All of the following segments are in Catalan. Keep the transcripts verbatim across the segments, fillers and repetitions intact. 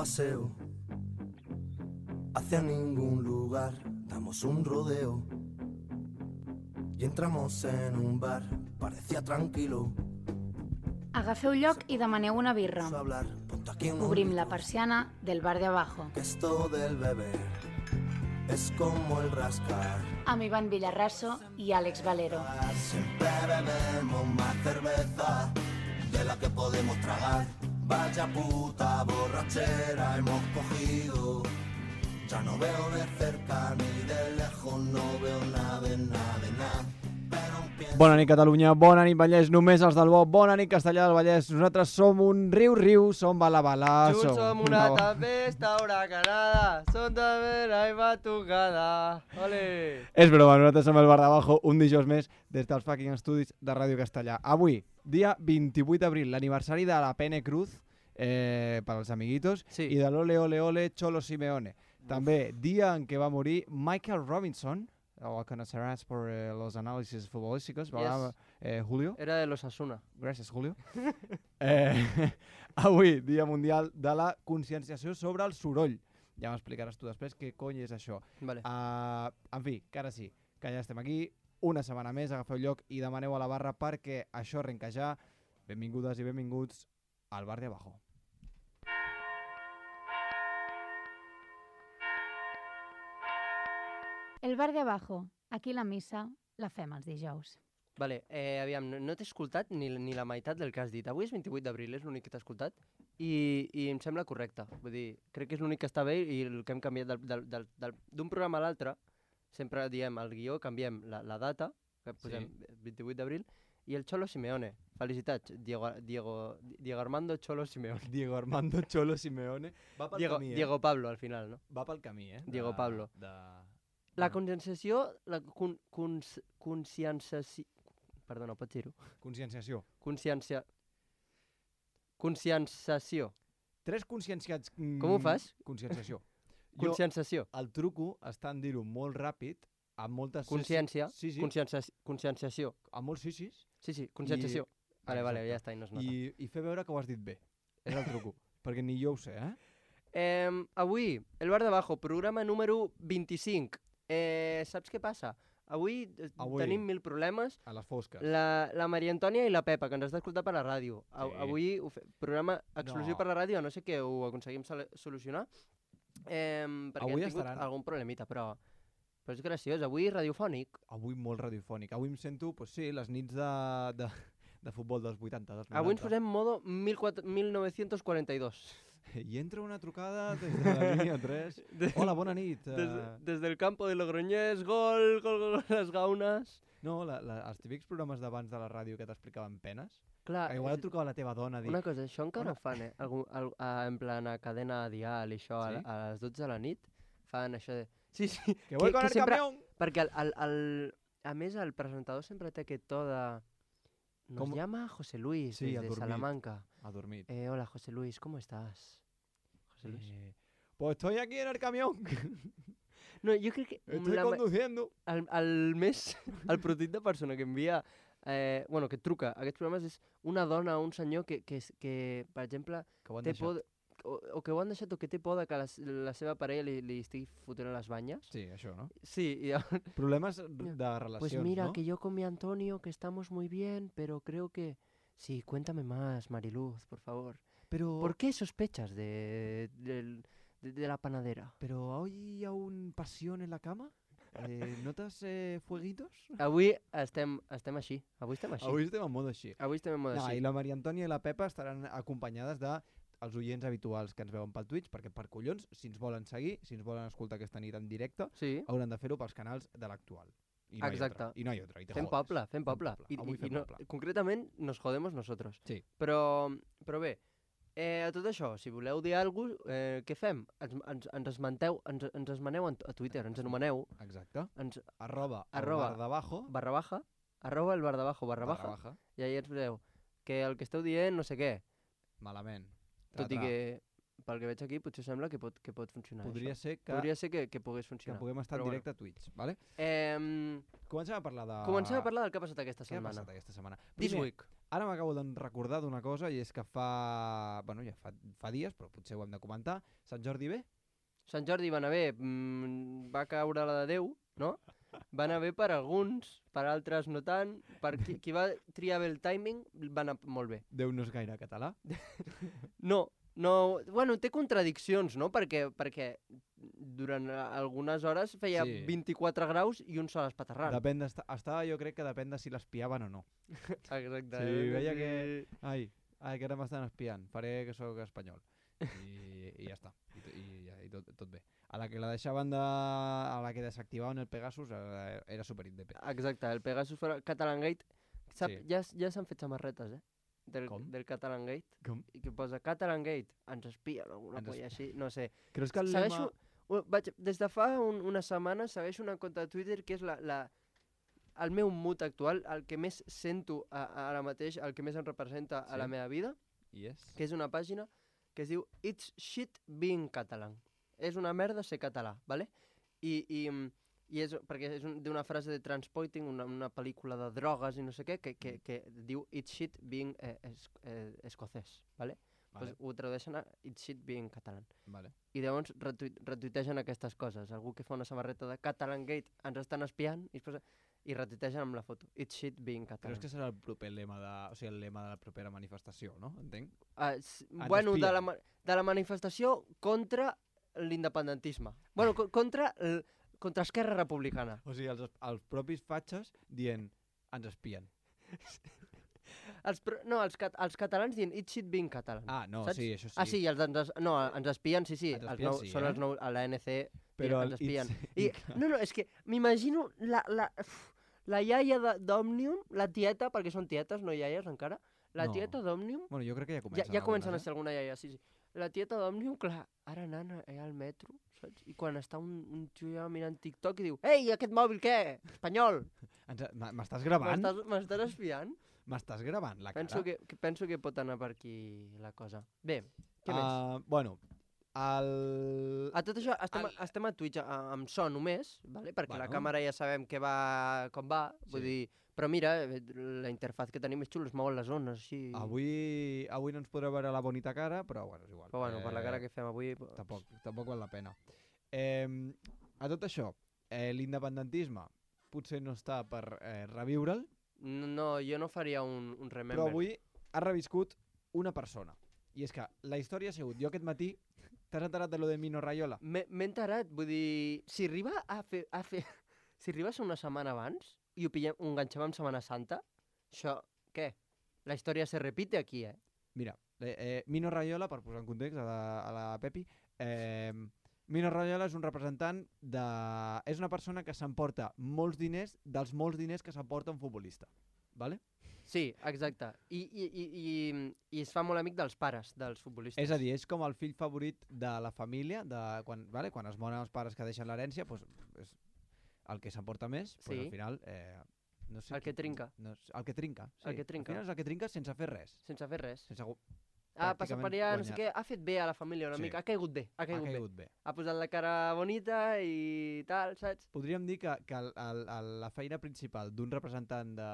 paseo hacia ningún lugar, damos un rodeo y entramos en un bar, parecía tranquilo. Agafeu lloc i demaneu una birra. Obrim la persiana del bar de abajo. Esto del beber es como el rascar. Amb Ivan Villarraso i Àlex Valero. Siempre bebemos más cerveza de la que podemos tragar. Vaya puta borrachera hemos cogido. Ya no veo de cerca ni de lejos, no veo nada de nada de nada. Bona nit Catalunya, bona nit Vallès, només els del bo, bona nit Castellà del Vallès. Nosaltres som un riu-riu, som bala-bala. Junts som una tempesta huracanada, som també la batucada. Ole! És broma, nosaltres som el Bar d'Abajo, un dijous més des dels fucking estudis de Ràdio Castellà. Avui, dia vint-i-vuit d'abril, l'aniversari de la Pene Cruz, eh, per als amiguitos, sí. I de l'Ole Ole Ole Cholo Simeone. Uf. També, dia en què va morir Michael Robinson, o conocerás por eh, los análisis futbolísticos, ¿verdad, yes. eh, Julio? Era de los Asuna. Gràcies, Julio. eh, avui, Dia Mundial de la Conscienciació sobre el Soroll. Ja m'explicaràs tu després què cony és això. Vale. Uh, en fi, que ara sí, que ja estem aquí, una setmana més, agafeu lloc i demaneu a la barra perquè això arrenca ja. Benvingudes i benvinguts al Bar de Abajo. El Bar de Abajo. Aquí la missa la fem els dijous. Vale, eh, aviam, no, no t'he escoltat ni, ni la meitat del que has dit. Avui és vint-i-vuit d'abril, és l'únic que t'he escoltat, i, i em sembla correcte. Vull dir, crec que és l'únic que està bé i el que hem canviat d'un programa a l'altre, sempre diem al guió, canviem la, la data, que posem sí. vint-i-vuit d'abril, i el Cholo Simeone. Felicitats, Diego, Diego, Diego Armando Cholo Simeone. Diego Armando Cholo Simeone. Va pel Diego, camí, eh? Diego Pablo, al final, no? Va pel camí, eh? Diego de, Pablo. De... La conscienciació, la con, cons, conscienciació... Perdona, pots dir-ho? Conscienciació. Consciencia... Conscienciació. Tres conscienciats... Mm, Com ho fas? Conscienciació. Conscienciació. Jo, el truco està en dir-ho molt ràpid, amb moltes... Consciència. Sí, sí. Conscienciació. Amb molts sisis. Sí, sí, conscienciació. I... Vale, vale, ja està, i no es nota. I, I fer veure que ho has dit bé. És el truco. Perquè ni jo ho sé, eh? eh avui, el Bar d'Abajo, programa número vint-i-cinc. Eh, saps què passa? Avui, Avui tenim mil problemes. A les fosques. La, la Maria Antònia i la Pepa, que ens està escoltant per la ràdio. Sí. Avui, fe, programa exclusiu no. per la ràdio, no sé què ho aconseguim solucionar. Eh, perquè avui hem tingut estaran... algun problemita, però, però és graciós. Avui radiofònic. Avui molt radiofònic. Avui em sento, pues sí, les nits de, de, de futbol dels vuitanta. Dels avui ens posem modo mil nou-cents quaranta-dos. I entra una trucada des de la línia tres. De, Hola, bona nit. Des, uh... des del campo de Logroñés, gol, gol, gol, les gaunes. No, la, la, els típics programes d'abans de la ràdio que t'explicaven penes. Clar. Que igual et trucava la teva dona a dir... Una cosa, això encara ho fan, eh? Algun, al, a, en plan a cadena dial i això, sí? a, a les dotze de la nit, fan això de... Sí, sí. Que voy con el sempre... camión. Perquè, el, el, el, a més, el presentador sempre té aquest to de... Nos ¿Cómo? Llama José Luis, sí, desde Salamanca. Ha dormit. Eh, hola, José Luis, ¿cómo estás? Eh, pues estoy aquí en el camión. No, jo crec que... Estoy la, conduciendo. El, el més... El prototip de persona que envia... Eh, bueno, que truca a aquests programes és una dona o un senyor que, que, que per exemple... Que ho han té deixat. Por, o, o que ho han deixat o que té por de que la, la seva parella li, li estigui fotent a les banyes. Sí, això, no? Sí. I, problemes de relacions, pues mira, ¿no? que yo con mi Antonio, que estamos muy bien, pero creo que... Sí, cuéntame más, Mariluz, por favor. Pero... ¿Por qué sospechas de, de, de, de la panadera? ¿Pero hoy hay aún pasión en la cama? Eh, ¿Notas eh, fueguitos? Avui estem, estem així. Avui estem així. Avui estem en mode així. Avui estem en mode no, així. I la Maria Antònia i la Pepa estaran acompanyades de els oients habituals que ens veuen pel Twitch, perquè per collons, si ens volen seguir, si ens volen escoltar aquesta nit en directe, sí. hauran de fer-ho pels canals de l'actual. I no Exacte. I no hi ha otra. I fem jodes. poble, fem poble. Fem poble. I, Avui i, fem i no, poble. concretament nos jodemos nosotros. Sí. Però, però bé, eh, a tot això, si voleu dir alguna cosa, eh, què fem? Ens, ens, ens esmenteu, ens, ens esmeneu a Twitter, ens anomeneu. Exacte. Ens, arroba, arroba el bar d'abajo. Barra baja. Arroba el bar d'abajo, barra, barra baja. baja. I ahir ens direu que el que esteu dient no sé què. Malament. Tot i que, pel que veig aquí, potser sembla que pot, que pot funcionar. Podria això. ser que... Podria ser que, que pogués funcionar. Que puguem estar en directe bueno. a Twitch, vale? Eh, comencem a parlar de... Comencem a parlar del que ha passat aquesta setmana. Què ha passat aquesta setmana? This week. Ara m'acabo de recordar d'una cosa i és que fa... Bueno, ja fa, fa dies, però potser ho hem de comentar. Sant Jordi bé? Sant Jordi va anar bé, mm, va caure la de Déu, no? Va anar bé per alguns, per altres no tant. Per qui, qui va triar bé el timing va anar molt bé. Déu no és gaire català. No, no, bueno, té contradiccions, no? Perquè, perquè durant algunes hores feia Sí. vint-i-quatre graus i un sol espaterrant. Depèn d'estar... Estava, jo crec que depèn de si l'espiaven o no. Exacte. Sí, eh? veia que... Ai, ai, que ara m'estan espiant. Faré que sóc espanyol. I, i ja està. I, i, ja, i tot, tot bé. A la que la deixaven de... A la que desactivaven el Pegasus era, era superindependent. Exacte, el Pegasus fora Catalan Gate. Sap, Sí. Ja, ja s'han fet samarretes, eh? Del, Com? del Catalan Gate. Com? I que posa Catalan Gate, ens espien, alguna Ens polla així, no sé. Creus que el Segueixo, lema... u- vaig, des de fa un, una setmana segueixo una compte de Twitter que és la, la, el meu mood actual, el que més sento a, a ara mateix, el que més em representa a la Sí. meva vida, Yes. que és una pàgina que es diu It's shit being catalan. És una merda ser català, ¿vale? I, i, i és, perquè és un, d'una frase de Transporting, una, una pel·lícula de drogues i no sé què, que, que, que diu It's shit being eh, es, eh, escocès, ¿vale? Vale, Pues ho tradueixen a It's shit being catalan. vale. I llavors retuit, retuitegen aquestes coses. Algú que fa una samarreta de Catalan Gate ens estan espiant i, es posa, i retuitegen amb la foto. It's shit being catalan. Creus que serà el proper lema de... O sigui, el lema de la propera manifestació, no? Entenc? Uh, s- Ens bueno, de espien. la, ma- de la manifestació contra l'independentisme. Bueno, co contra, el, contra Esquerra Republicana. O sigui, els, els propis fatxes dient ens espien. Els, pro- no, els, cat els catalans dient It's shit being catalan. Ah, no, Saps? sí, això sí. Ah, sí, els ens, no, ens espien, sí, sí. Ens Els espien, nou, sí, són eh? els nou, a l'A N C Però ens el espien. It's- I, no, no, és que m'imagino la, la, uf, la iaia de- d'Òmnium, la tieta, perquè són tietes, no iaies encara, la No. tieta d'Òmnium, Bueno, jo crec que ja ja, comencen ja comencen a algunes, ser alguna iaia, sí, sí. La tieta d'Òmnium, clar, ara nana, allà al metro, saps? I quan està un, un tio allà mirant TikTok i diu «Ei, aquest mòbil què? Espanyol! eh? Ens- m- M'estàs gravant? M'estàs m'estàs espiant?» M'estàs gravant la cara? Penso que, que, penso que pot anar per aquí la cosa. Bé, què més? Uh, bueno, el... A tot això, estem, el- a, estem a Twitch a, amb so només, vale? perquè la Bueno. càmera ja sabem que va, com va, vull Sí. dir, però mira, eh, la interfaz que tenim és xula, es mouen les zones, així... Avui, avui no ens podrà veure la bonita cara, però bueno, és igual. Però bueno, per la cara Eh, que fem avui... Pues... Tampoc, tampoc val la pena. Eh, a tot això, eh, l'independentisme potser no està per eh, revivre'l, No, jo no faria un, un remember. però avui ha reviscut una persona. I és que la història ha sigut, jo aquest matí, t'has enterat de lo de Mino Raiola? M'he m'he enterat, vull dir, si arriba a fer... A fer si arriba a ser una setmana abans i ho, pillem, ho enganxem amb Setmana Santa, això, què? La història se repite aquí, eh? Mira, eh, eh, Mino Raiola, per posar en context a la, a la Pepi, eh, Mino Raiola és un representant de... És una persona que s'emporta molts diners dels molts diners que s'emporta un futbolista. Vale? Sí, exacte. I, i, i, i, i es fa molt amic dels pares, dels futbolistes. És a dir, és com el fill favorit de la família, de quan, vale? Quan es moren els pares que deixen l'herència, doncs és el que s'emporta més, Sí. però al final... Eh, no sé El que qui- trinca. No, sé, el que trinca, sí. El que trinca. Al final és el que trinca sense fer res. Sense fer res. Sense... gu- Ah, passa per pràcticament allà, no sé guanyat. què, ha fet bé a la família una Sí. mica, ha caigut bé, ha Ha caigut, caigut bé. bé. Ha posat la cara bonita i tal, saps? Podríem dir que, que el, el, el, la feina principal d'un representant de,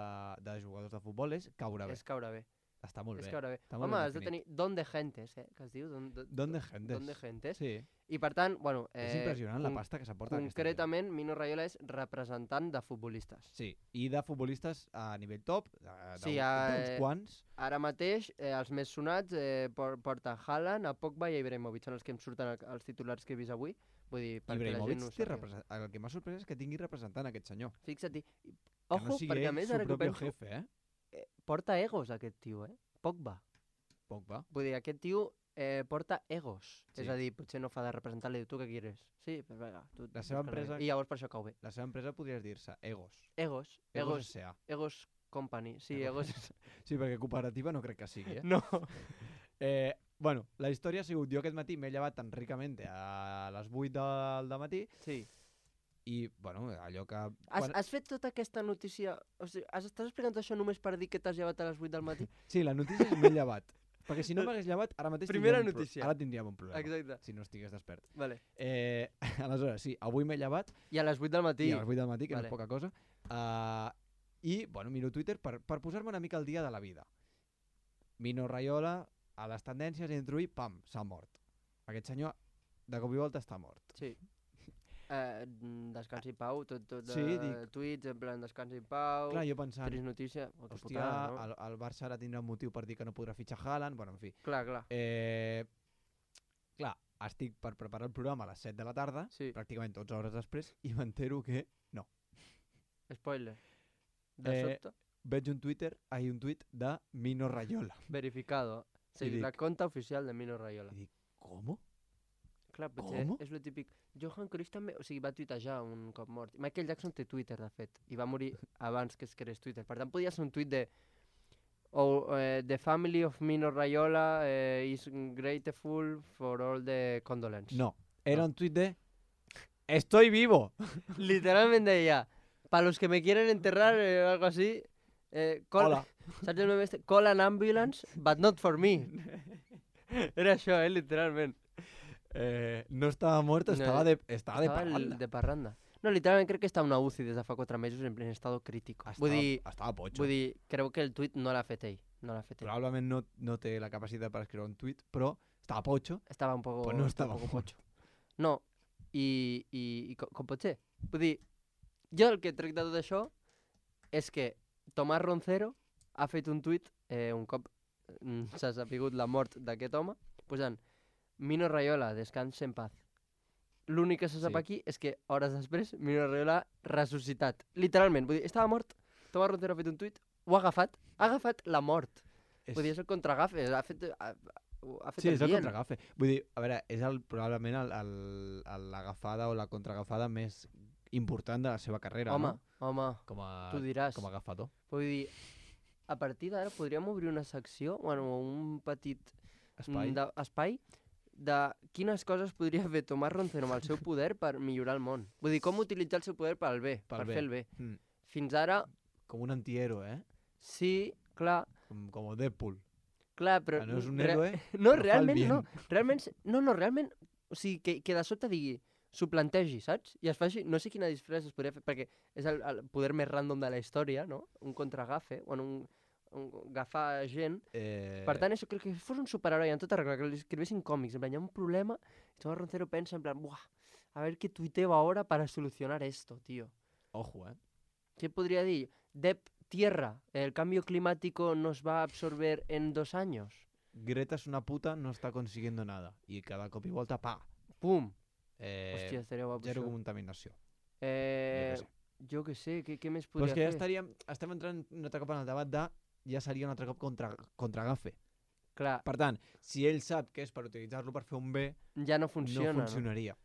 de jugadors de futbol és caure bé. És caure bé, Està molt és bé. caure bé. Està molt Home, ben has de definit. tenir don de gentes, eh, que es diu. Don, don, Don de gentes. Don de gentes. Sí, I per tant, bueno... Eh, és impressionant la con- pasta que s'aporta aquesta gent. Concretament, Mino Raiola és representant de futbolistes. Sí, i de futbolistes a nivell top, de, de, Sí, d'uns eh, quants. Ara mateix, eh, els més sonats eh, por- porta Haaland, a Pogba i a Ibrahimovic. Són els que em surten al- als titulars que he vist avui. Vull dir, perquè la Ibrahimovic gent no ho té sàpiga. represent... El que m'ha sorprès és que tingui representant aquest senyor. Fixa't-hi. Que Ojo, no sigui perquè a ell més su ara que ho propio penso, jefe, eh? eh, porta egos aquest tio, eh? Pogba. Pogba. Vull dir, aquest tio eh, porta egos. Sí. És a dir, potser no fa de representar, li diu, tu què quieres? Sí, pues vinga. Tu, La seva búscalo empresa- bé. I llavors per això cau bé. La seva empresa podries dir-se Egos. Egos. Egos Egos. S A. Egos Company. Sí, Egos. egos. Sí, perquè cooperativa no crec que sigui, eh? no. eh bueno, la història ha sigut, jo aquest matí m'he llevat tan ricament a les vuit del matí Sí. i, bueno, allò que... Has, quan- has fet tota aquesta notícia... O sigui, has, estàs explicant això només per dir que t'has llevat a les vuit del matí? Sí, la notícia és m'he llevat. Perquè si no m'hagués llevat, ara mateix Primera tindríem un pro- notícia. ara tindríem un problema. Exacte. Si no estigués despert. Vale. Eh, aleshores, sí, avui m'he llevat I a les vuit del matí. i a les vuit del matí, que Vale. no és poca cosa. Uh, I, bueno, miro Twitter per, per posar-me una mica al dia de la vida. Mino Raiola, a les tendències, introduir, pam, s'ha mort. Aquest senyor, de cop i volta, està mort. Sí. Eh, descansi pau, tot, tot de Sí, dic- tuits, en plan descansi pau, Clar, jo pensant, trist notícia, oh, que hòstia, putada, no? el, el Barça ara tindrà un motiu per dir que no podrà fitxar Haaland, bueno, en fi. Clar, clar, Eh, clar, estic per preparar el programa a les set de la tarda, sí, pràcticament dotze hores després, i m'entero que spoiler. De Eh, sobte, veig un Twitter, ai, un tuit de Mino Raiola. verificado. Sí, dic- la conta oficial de Mino Raiola. I dic, com? Clar, potser Com? és lo típic. Johan Cruyff també, o sigui, va tuitejar un cop mort. Michael Jackson té Twitter, de fet, i va morir abans que es creés Twitter. Per tant, podia ser un tuit de oh, eh, The family of Mino Raiola eh, is grateful for all the condolence. No, era No. un tuit de Estoy vivo. Literalment deia, para los que me quieren enterrar, eh, algo así, eh, call, Hola. saps el meme este? Call an ambulance, but not for me. Era això, eh, literalment. Eh, no estava mort, No, estava de, estava de Estava el- parranda. de parranda. No, literalment crec que està a una U C I des de fa quatre mesos en plen estado crítico. Estava, Vull dir, estava potxo. vull dir, creu que el tuit no l'ha fet ell. No l'ha fet ell. Probablement no, no té la capacitat per escriure un tuit, però estava potxo. Estava un poco, Pues no estava estava un poco mort. pocho. No, i, i, i com, com pot ser? Vull dir, jo el que trec de tot això és que Tomàs Roncero ha fet un tuit eh, un cop mm, s'ha sapigut la mort d'aquest home, posant Mino Raiola, descansa en paz. L'únic que se sap Sí. aquí és que hores després Mino Raiola ha ressuscitat. Literalment, vull dir, estava mort, Tomàs Roncero ha fet un tuit, ho ha agafat, ha agafat la mort. És... Vull dir, és el contragafe, ha fet, ha, ha fet Sí, és el bien. contragafe. Vull dir, a veure, és el, probablement el- el- el- l'agafada o la contraagafada més important de la seva carrera, Home, no? home, Com a, tu diràs. com a agafador. Vull dir, a partir d'ara podríem obrir una secció, bueno, un petit Espai. mm, de, espai de quines coses podria fer Tomàs Roncero amb el seu poder per millorar el món. Vull dir, com utilitzar el seu poder pel bé, Pel per bé. fer el bé. Mm. Fins ara, Com un antihéroe, eh? sí, clar, Com, com Deadpool. clar, però... Que no és un re- héroe, No, però fa el realment bien. no. Realment, se- no, no, realment, o sigui, que, que de sobte digui, s'ho plantegi, saps? I es faci, no sé quina disfressa es podria fer, perquè és el, el poder més random de la història, no? Un contragafe, bueno, un, un agafar gent. Eh... Per tant, això, que, que fos un superheroi en tota regla, que li escrivessin còmics, en plan, hi ha un problema, i Tomás Roncero pensa en plan, buah, a ver qué tuiteo ahora para solucionar esto, tío. Ojo, eh? ¿Qué podría decir? Dep tierra, el cambio climático nos va a absorber en dos años. Greta es una puta, no està consiguiendo nada. I cada cop i volta, pa! Pum. Eh, Hòstia, estaria guapo zero això. contaminació. Eh, Jo què sé. jo què sé, què, què més Però podria és que ja fer? estaríem, estem entrant un altre cop en el debat de ja seria un altre cop contra, contra Gafe. Clar, Per tant, si ell sap que és per utilitzar-lo per fer un bé, ja no funciona, no funcionaria. No?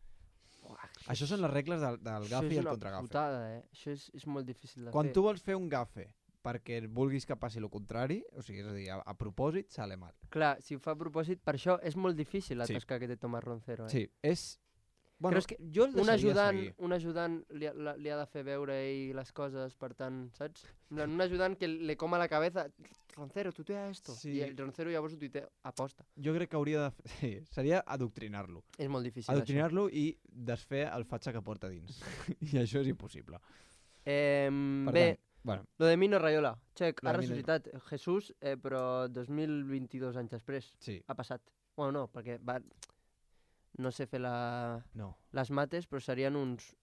Uah, Això són les regles del, del això Gafe és i el una contragafe. putada, eh? Això és, és molt difícil de Quan fer. tu vols fer un gafe perquè vulguis que passi el contrari, o sigui, és a dir, a, a propòsit, sale mal. Clar, si ho fa a propòsit, per això és molt difícil la Sí. tasca que té Tomàs Roncero, eh? Sí, és... Bueno, Creus que jo el un deixaria ajudant, seguir. un ajudant li, ha- la- li ha de fer veure ell les coses, per tant, saps? En plan, un ajudant que le coma la cabeza, Roncero, tuitea esto. Sí. I el Roncero llavors ho tuitea aposta. Jo crec que hauria de... Fer... Sí, seria adoctrinar-lo. És molt difícil, això. Adoctrinar-lo i desfer el fatxa que porta dins. I això és impossible. Eh, Per bé, tant, bueno, lo de Mino Raiola. Check, Lo ha de Mino- ressuscitat Jesús, eh, però dos mil vint-i-dos anys després. sí, Ha passat. Bueno, no, perquè va... No sé fer la... no, les mates, però serien uns,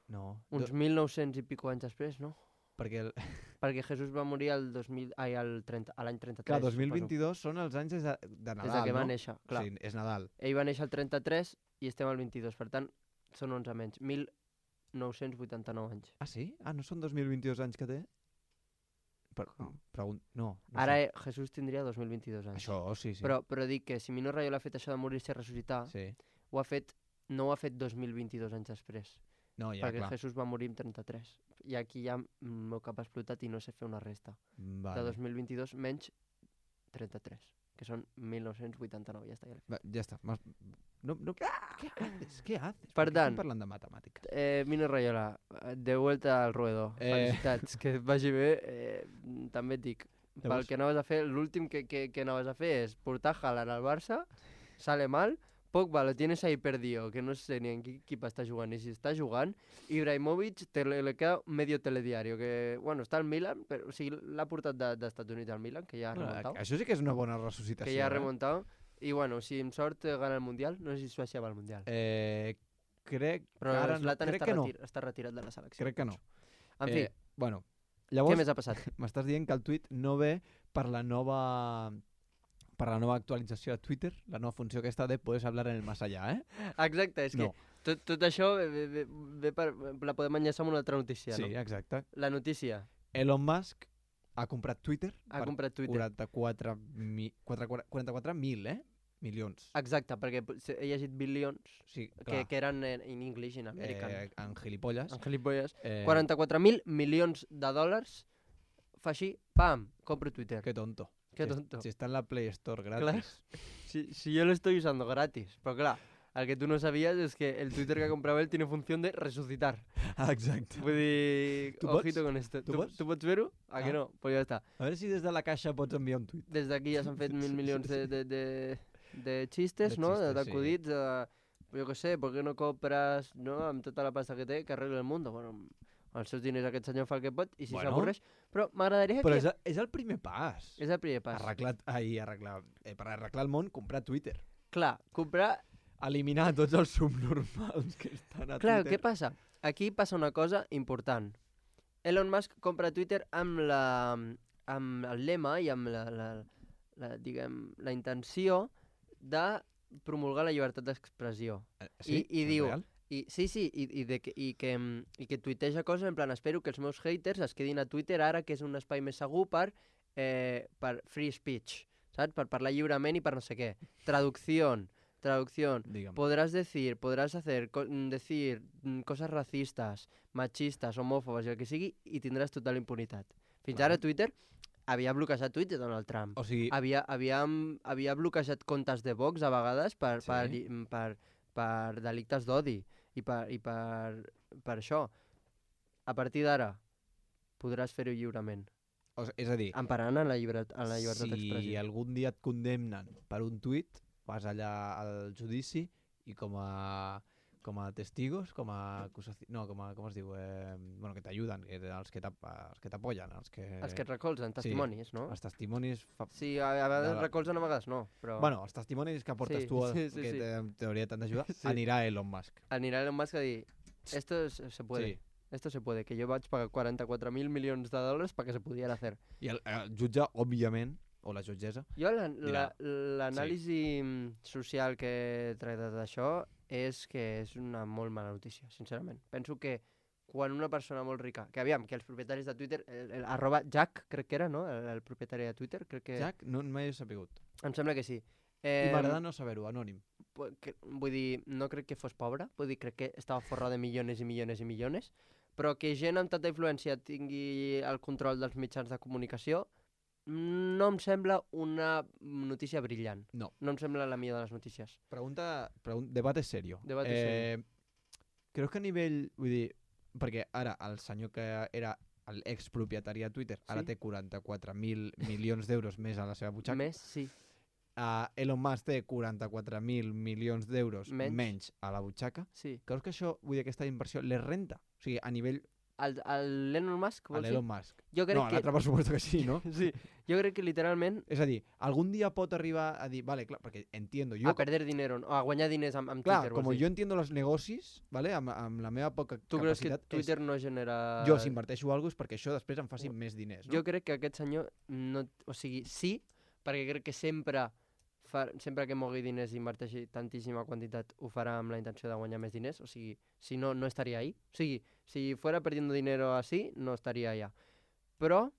no. uns Do, mil nou-cents i pico anys després, no? perquè, el, Perquè Jesús va morir el dos mil, ai, el trenta, a l'any trenta-tres. clar, dos mil suposo. vint-i-dos són els anys des de, de Nadal, Des de que va no? néixer, clar. Sí, és Nadal. Ell va néixer el trenta-tres i estem al vint-i-dos, per tant, són onze menys. mil nou-cents vuitanta-nou anys. Ah, sí? Ah, no són dos mil vint-i-dos anys que té? Per, pregun... No, no Ara sé. eh, Jesús tindria dos mil vint-i-dos anys. Això, sí, sí. Però, però dic que si Mino Raiola ha fet això de morir-se i ressuscitar, Sí. ho ha fet, no ho ha fet dos mil vint-i-dos anys després. No, ja, perquè clar. Jesús va morir en trenta-tres. I aquí ja el meu cap ha explotat i no sé fer una resta. Vale. De dos mil vint-i-dos menys trenta-tres, que són mil nou-cents vuitanta-nou. Ja està, ja l'he fet. Va, ja està. M'has- No, no, ¿Qué haces? ¿Qué haces? Per què tant- estem parlant de matemàtiques? Eh, Mino Raiola, eh, de vuelta al ruedo. Eh. Felicitats, que et vagi bé. Eh, també et dic, pel Llavors- que anaves a fer, l'últim que, que, que anaves a fer és portar Haaland al Barça, sale mal, Pogba lo tienes ahí perdido, que no sé ni en qué equipo está jugando ni si está jugando. Ibrahimovic te le, le queda medio telediario, que, bueno, està al Milan, però o sigui, l'ha portat de, d'Estats Units al Milan, que ja ha Bueno, remuntat. això sí que és una bona ressuscitació. Que ja ha eh? remuntat. I bueno, si amb sort eh, gana el Mundial, no sé si Suècia va al Mundial. Eh, crec Però que ara no. Zlatan Crec està, que no. retir, està retirat de la selecció. Crec que no. En fi, Eh, bueno, què llavors més ha passat? m'estàs dient que el tuit no ve per la nova per la nova actualització de Twitter, la nova funció aquesta de puedes hablar en el más allá, eh? Exacte, és No. que tot, tot això ve, ve, ve, ve per, la podem enllaçar amb una altra notícia, Sí, no? exacte. La notícia, Elon Musk ha comprat Twitter ha per comprat Twitter. quaranta-quatre mi- quaranta-quatre mil, eh? Milions. Exacte, perquè he llegit bilions, Sí, que, clar. que eren en, en English, en American. Eh, en gilipolles. En gilipolles. Eh, quaranta-quatre mil milions de dòlars, fa així, pam, compro Twitter. Que tonto. Qué Si es- tonto. Si está en la Play Store Clar, gratis. si, si yo lo estoy usando gratis, pero claro, al que tú no sabías es que el Twitter que ha comprado él tiene función de resucitar. Ah, exacte. Vull dir, Tu ojito pots? con esto. Tu Tu, pots? tu pots ver-ho? A que Ah. no? Pues ja està. A veure si des de la caixa pots enviar un tuit. Des d'aquí ja s'han fet mil milions de, de, de, de xistes, De no? xistes, D'acudits, de, jo què sé, per què no compres, no? Amb tota la pasta que té, que arregla el món. Bueno, amb els seus diners aquest senyor fa el que pot i si Bueno. s'avorreix. Però m'agradaria Però que... és, el- és el primer pas. És el primer pas. Arreglar, ai, arreglar, eh, per arreglar el món, comprar Twitter. Clar, comprar... Eliminar tots els subnormals que estan a Clar, Twitter. què passa? Aquí passa una cosa important. Elon Musk compra Twitter amb, la, amb el lema i amb la, la, la, diguem, la intenció de promulgar la llibertat d'expressió. Eh, Sí? I- i És diu- real? I, sí, sí, i, i, de que, i, que, mm, i que tuiteja coses en plan, espero que els meus haters es quedin a Twitter ara, que és un espai més segur per, eh, per free speech, saps? Per parlar lliurement i per no sé què. Traducció, traducció. Digue'm. Podrás decir, podrás hacer, co mm, decir mm, coses racistes, machistes, homòfobes i el que sigui, i tindràs total impunitat. Fins Vale. ara Twitter havia bloquejat tuits de Donald Trump. O sigui, Havia, havia, havia bloquejat comptes de Vox a vegades per, Sí. per, lli- per, per delictes d'odi i, per, i per, per això. A partir d'ara podràs fer-ho lliurement, o sigui, és a dir, emparant en la, llibert en la llibertat si d'expressió. algun dia et condemnen per un tuit, vas allà al judici i com a com a testigos, com a acusaci... no, com a, com es diu, eh, bueno, que t'ajuden, que els que t'ap- els que t'apoyen, els que Els que et recolzen, sí. testimonis, no? els testimonis fa... Sí, a, a vegades de la- recolzen, a vegades no, però Bueno, els testimonis que portes Sí, tu, sí, sí, que sí. te- en teoria t'han d'ajudar, Sí. anirà Elon Musk. anirà Elon Musk a dir, esto es- se puede, Sí. esto se puede, que yo vaig pagar quaranta-quatre mil milions de dòlars perquè se pudiera hacer. I el, el jutge, òbviament, o la jutgessa, Jo la- Dirà, la- l'anàlisi sí. social que he tractat d'això és que és una molt mala notícia, sincerament. Penso que quan una persona molt rica, que aviam, que els propietaris de Twitter, el, el, arroba Jack, crec que era, no?, el, el propietari de Twitter, crec que... Jack, no m'he sapigut. Em sembla que sí. I Eh, m'agrada no saber-ho, anònim. pu- que, vull dir, no crec que fos pobre, vull dir, crec que estava forrat de milions i milions i milions, però que gent amb tanta influència tingui el control dels mitjans de comunicació no em sembla una notícia brillant. No. No em sembla la millor de les notícies. Pregunta, pregun debate serio. Debate eh, Creus que a nivell, vull dir, perquè ara el senyor que era l'expropietari de Twitter ara Sí. té quaranta-quatre mil milions d'euros més a la seva butxaca. Més, sí. Uh, Elon Musk té quaranta-quatre mil milions d'euros Menys. menys a la butxaca. sí. Creus que això, vull dir, aquesta inversió les renta? O sigui, a nivell El, el Elon Musk, a vols dir? l'Elon Musk. Jo crec No, a que... l'altre per suposo que sí, no? Sí, jo crec que literalment És a dir, algun dia pot arribar a dir, vale, clar, perquè entiendo, jo, a perder dinero, o a guanyar diners amb, amb clar, Twitter, com vols dir. jo entiendo los negocis, vale, amb, amb la meva poca Tu creus que capacitat, Twitter no genera... és, jo si inverteixo alguna cosa és perquè això després em faci més diners, no? Jo crec que aquest senyor, no, o sigui, sí, perquè crec que sempre, fa, sempre que mogui diners i inverteixi tantíssima quantitat ho farà amb la intenció de guanyar més diners, o sigui, si no, no estaria ahí. O sigui, si fuera perdiendo dinero así, no estaria allà. Però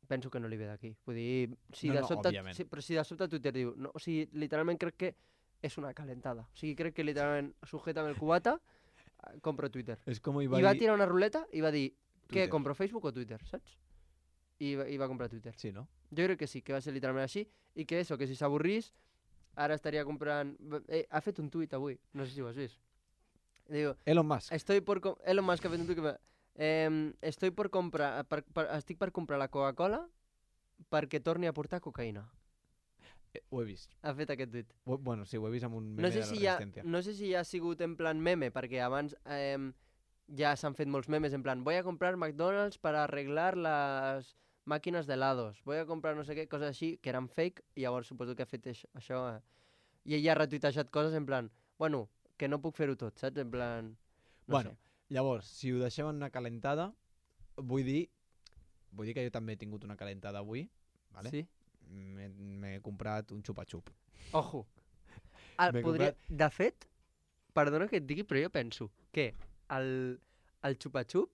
penso que no li ve d'aquí. Vull dir, si No, de no, sobte, òbviament. si, però si de sobte Twitter diu, no, o sigui, literalment crec que és una calentada. O sigui, crec que literalment sujétame el cubata, eh, compro Twitter. És com hi I va, va dir... tirar una ruleta i va dir, Twitter. què, compro Facebook o Twitter, saps? I va, i va comprar Twitter. Sí, no? Jo crec que sí, que va ser literalment així, i que eso, que si s'avorrís, ara estaria comprant... Eh, ha fet un tuit avui, no sé si ho has vist. Diu, Elon Musk. estoy por... com- Elon Musk ha fet un tuit que... va, Eh, estoy por comprar... Per, per, estic per comprar la Coca-Cola perquè torni a portar cocaïna. Eh, Ho he vist. Ha fet aquest tuit. Ho- Bueno, sí, ho he vist amb un meme No sé, de la si ja, Resistència. no sé si ja ha sigut en plan meme, perquè abans eh, ja s'han fet molts memes en plan voy a comprar McDonald's para arreglar las máquinas de helados, voy a comprar no sé què, coses així, que eren fake, i llavors suposo que ha fet això, això eh, i ella ha retuitejat coses en plan, bueno, que no puc fer-ho tot, saps? En plan, no Bueno, sé. llavors, si ho deixem en una calentada, vull dir, vull dir que jo també he tingut una calentada avui, vale? Sí? M'he m'he comprat un xupa-xup. Ojo. El, M'he podria... comprat- De fet, perdona que et digui, però jo penso que el, el xupa-xup,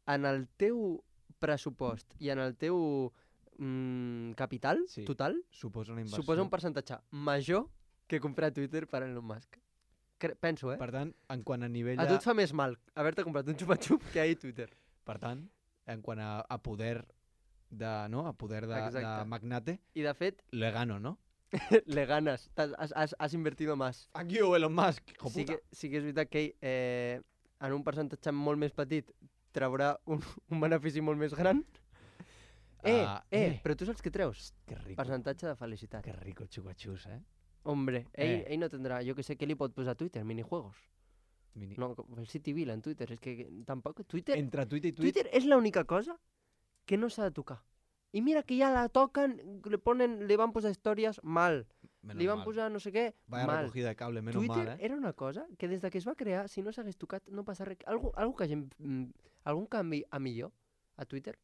en el teu pressupost i en el teu mm, capital Sí. total, Suposa una inversió. suposa un percentatge major que comprar Twitter per Elon Musk. Cre penso, eh? Per tant, en quant a nivell A de... tu et fa més mal haver-te comprat un xupa-xup que ahir Twitter. Per tant, en quant a, a poder de, no? A poder de, de Exacte. magnate, I de fet, le gano, ¿no? le ganas, T'has- has, has, has invertido más. Fuck you, Elon Musk, hijo Sí puta. que, sí que és veritat que ell, eh, en un percentatge molt més petit, traurà un, un benefici molt més gran. Eh, Ah, eh, eh. però tu saps què treus? Que rico. Percentatge de felicitat. Que rico xupa-xus, eh? Hombre, ell, Eh. ell no tendrà, jo que sé, què li pot posar a Twitter? Minijuegos. Mini... No, com el Cityville en Twitter, és que tampoc... Twitter, Entre tuit i tuit, Twitter és l'única cosa que no s'ha de tocar. I mira que ja la toquen, le ponen, li van posar històries mal, menos li van mal. posar no sé què, Vaya mal. recogida de cable, menos Twitter mal, eh? era una cosa que des de que es va crear, si no s'hagués tocat, no passa res. Algú, algú que hagin, mm, algun canvi a millor a Twitter?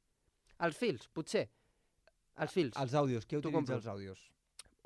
Els fils, potser. Els fils. Els àudios, qui Tu utilitza compro. els àudios?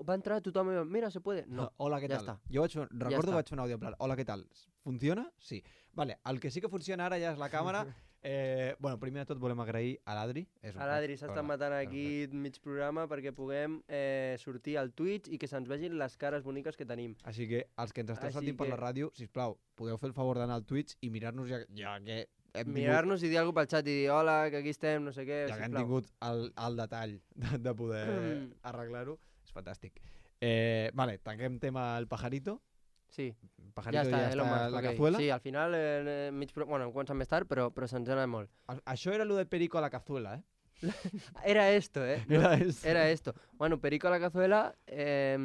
Va entrar tothom i va, mira, se puede. No. Hola, què ja tal? està. Jo vaig fer, recordo està. que vaig fer un àudio en plan, hola, què tal? Funciona? Sí. Vale, el que sí que funciona ara ja és la càmera. Eh, bueno, primer de tot volem agrair a l'Adri. És un A l'Adri crac. s'ha Hola. estat matant aquí mig programa perquè puguem eh, sortir al Twitch i que se'ns vegin les cares boniques que tenim. Així que els que ens esteu Així sentint per que- la ràdio, sisplau, podeu fer el favor d'anar al Twitch i mirar-nos ja, ja que hem tingut, Mirar-nos i dir alguna cosa pel xat i dir hola, que aquí estem, no sé què, ja que hem sisplau. tingut el, el detall de, de poder Mm. arreglar-ho. És fantàstic. Eh, vale, tanquem tema el pajarito. Sí, El pajarito ja ja està, està, Elon Musk, la ok. cazuela. Sí, al final, eh, mig pro... bueno, hem començat més tard, però, però se'ns ha anat molt. A- Això era lo de perico a la cazuela, eh? Era esto, eh? Era eso. Era esto. Bueno, Perico a la cazuela, eh,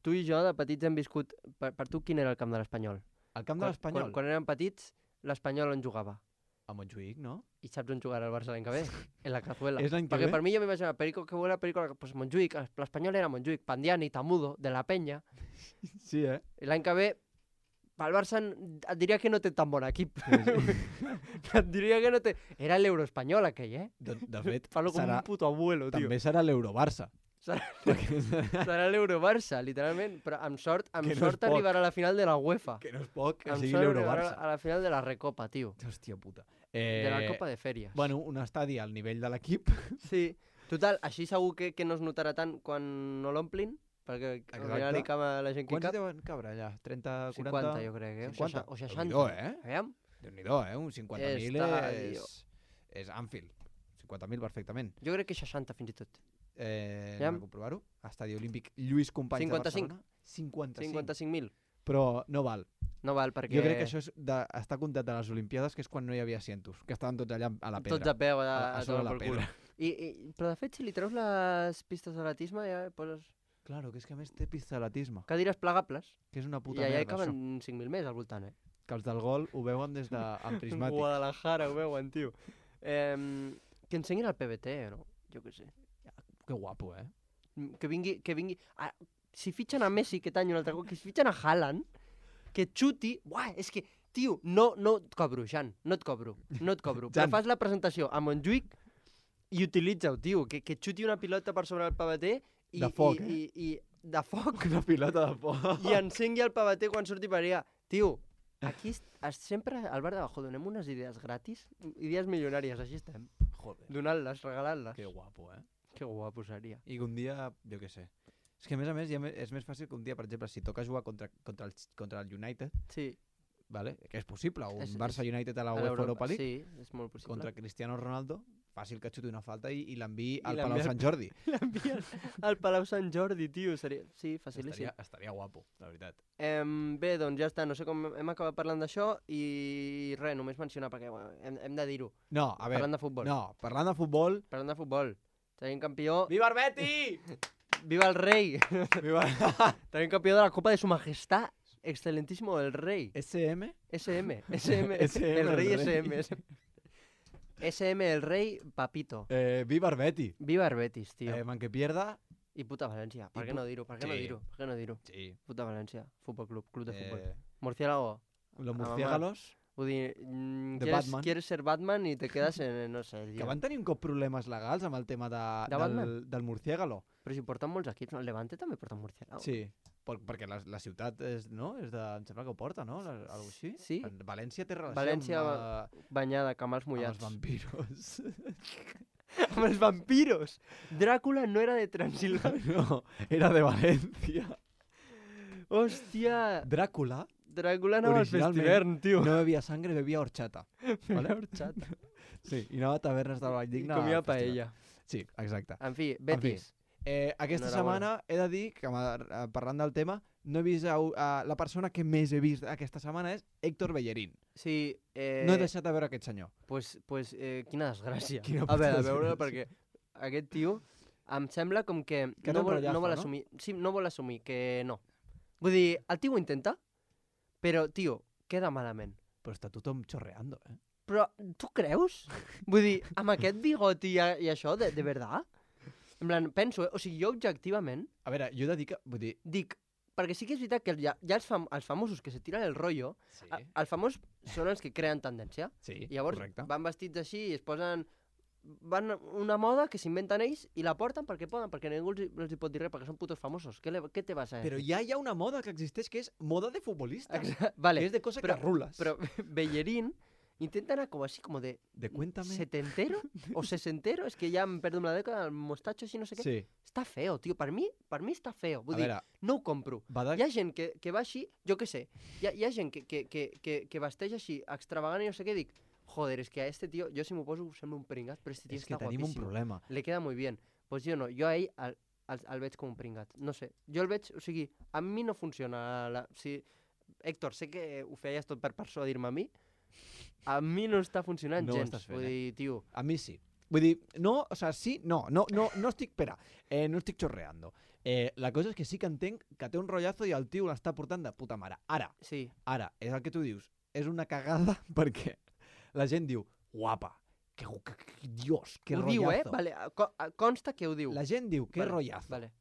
tu i jo de petits hem viscut... Per, per tu, quin era el camp de l'Espanyol? El camp de Quan- l'Espanyol. Quan, quan érem petits, l'Espanyol on jugava. A Montjuïc, no? I saps on jugarà el Barça l'any que ve? En la cazuela. És l'any que Perquè ve? per mi jo m'imaginava Perico que era Perico, a la- pues Montjuïc, l'Espanyol era Montjuïc, Pandiani, Tamudo, de la Penya. Sí, eh? I l'any que ve, pel Barça n- et diria que no té tan bon equip. et diria que no té... Era l'Euroespanyol aquell, eh? De, de fet, Parlo com serà, un puto abuelo, tio. també serà l'Eurobarça. Serà, Perquè serà l'Eurobarça, literalment. Però amb sort, amb Que no és sort poc. arribarà a la final de la UEFA. que no és poc que Amb sigui sort arribarà l'Eurobarça. a la final de la Recopa, tio. Hòstia puta. De la Eh, Copa de Fèries. Bueno, un estadi al nivell de l'equip. Sí. Total, així segur que, que no es notarà tant quan no l'omplin, perquè al Exacte. final hi cap a la gent que hi Quants cap. deuen cabre allà? trenta, quaranta? cinquanta, jo crec, eh? O cinquanta? seixanta- O seixanta. Déu-n'hi-do, eh? Aviam. Déu-n'hi-do, eh? Un cinquanta mil Estadio. és... És Anfield. cinquanta mil perfectament. Jo crec que seixanta fins i tot. Eh, Ja. anem a comprovar-ho. Estadi Olímpic Lluís Companys cinquanta-cinc. de Barcelona. cinquanta-cinc. cinquanta-cinc mil. Però no val. No val, perquè... Jo crec que això és de, està comptat de les Olimpiades, que és quan no hi havia cientos, que estaven tots allà a la pedra. Tots a peu, a, a, a, a sobre la pel cul. pedra. I, i, però de fet, si li treus les pistes d'atletisme, ja poses Claro, que és que a més té pista d'atletisme, cadires plegables que és una puta i allà hi merda, això. caben cinc mil més al voltant, eh? Que els del gol ho veuen des de amb prismàtic. Guadalajara ho veuen, tio. Eh, que ensenyin el P B T, no? Jo què sé. Que guapo, eh? Que vingui... Que vingui... Ah, si fitxen a Messi aquest any un altre cop, que si fitxen a Haaland, que xuti... Uah, és que, tio, no, no et cobro, Jan, no et cobro, no et cobro. Però Jan. fas la presentació a Montjuïc i utilitza-ho, tio, que, que xuti una pilota per sobre el P B T i, De foc, i, eh? i, i, de foc Una pilota de por. i encengui el P B T quan surti per allà. Tio, aquí est- es, sempre al bar de Bajo donem unes idees gratis, idees milionàries, així estem. Joder, Donant-les, regalant-les. que guapo, eh? Que guapo seria. I que un dia, jo què sé. És que a més a més ja me- és més fàcil que un dia, per exemple, si toca jugar contra, contra, el, contra el United, Sí. vale? Que és possible, un És- Barça United a la a UEFA l'Europa. Europa League, Sí, és molt possible. contra Cristiano Ronaldo, fàcil que xuti una falta i, i l'enviï I al l'enviï Palau al- Sant Jordi. L'envien al Palau Sant Jordi, tio. Seria... Sí, facilíssim. Estaria, estaria guapo, la veritat. Em, bé, doncs ja està. No sé com hem acabat parlant d'això i res, només mencionar, perquè bueno, hem, hem de dir-ho. No, a veure, Parlant de futbol. no, parlant de futbol... Parlant de futbol. Tenim campió... Viva el Betis! Viva el rei! Viva... También campeón de la Copa de Su Majestad, excelentísimo el rey. S M? S M, S M, S M, el rey el rey. S M. S M, el rey, papito. Eh, viva el Betis. Viva el Betis, tío. Eh, man que pierda... I puta València. Per I què pu- no dir-ho? Per què no Sí. dir-ho? Per què no dir-ho? Sí. Puta València. Futbol club, club de futbol. Eh, Murciélago. los mamá. murciélagos, Vull dir, mm, De quieres, Batman. quieres ser Batman i te quedes en, no sé, que tio. van tenir un cop problemes legals amb el tema de, De del, Batman? del murciégalo. Però si porten molts equips, no? El Levante també porta un Murciélago. Sí, per, perquè la, la ciutat és, no? és de, em sembla que ho porta, no? La, algo així. Sí. En València té relació València amb, uh, Banyada, camals amb els mullats. vampiros. Amb els vampiros! Dràcula no era de Transilvània. No, era de València. Hòstia! Dràcula Dràcula anava al Originalment, festivern, tio. no bevia sangre, bevia horchata. Vale? Horchata. Sí, i anava a tavernes del Vall I Digne. comia al festival. paella. Sí, exacte. En fi, Betis. Eh, aquesta Enhorabona. setmana he de dir que, eh, parlant del tema, no he vist a, a, la persona que més he vist aquesta setmana és Héctor Bellerín. Sí, eh... No he deixat de veure aquest senyor. Pues, pues eh, quina desgràcia. Quina a veure, a puta veure, desgràcia. perquè aquest tio em sembla com que, Que té no, un vol, rotllazo, no vol no? assumir... Sí, no vol assumir que no. Vull dir, el tio ho intenta, però, tio, queda malament. Però està tothom xorreando, eh? Però tu creus? Vull dir, amb aquest bigoti i, i això, de, de verdad? En plan, penso, eh? O sigui, jo objectivament A veure, jo he de dir que... Vull dir... dic, perquè sí que és veritat que hi ha, hi ha els, fam els famosos que se tiren el rotllo, Sí, a- els famosos són els que creen tendència. sí I llavors correcte. van vestits així i es posen... Van una moda que s'inventen ells i la porten perquè poden, perquè ningú els, hi- els hi pot dir res, perquè són putos famosos. Què, le, què te vas a Però ja hi ha una moda que existeix que és moda de futbolista. Exa- vale, Que és de cosa però- que rules. però Bellerín intenta anar com així, com de De cuéntame. setentero o sesentero, és que ja em perdo amb la dècada, el mostatxo així, no sé què. Sí. Està feo, tio, per mi, per mi està feo. Vull A dir, veure, no ho compro. va de... Hi ha gent que, que va així, jo què sé, hi ha, hi ha gent que, que, que, que, que vesteix així, extravagant i no sé què, dic, joder, és que a este tio, jo si m'ho poso sembla un pringat, però este tio És que està tenim un guapíssim. problema. Le queda muy bien. Pues jo no, jo a ell el, el, el veig com un pringat. No sé, jo el veig, o sigui, a mi no funciona. La, si, Héctor, sé que ho feies tot per persuadir-me a mi, a mi no està funcionant No ho gens. estàs fent, Vull eh? dir, tio, A mi sí. Vull dir, no, o sea, sí, no, no, no, no estic, espera, eh, no estic xorreando. Eh, la cosa és que sí que entenc que té un rotllazo i el tio l'està portant de puta mare. Ara, sí, ara, és el que tu dius, és una cagada perquè la gent diu, guapa, que, que, que Dios, que ho rotllazo. diu, eh? Vale, co consta que ho diu. La gent diu, que Vale, rotllazo. Vale.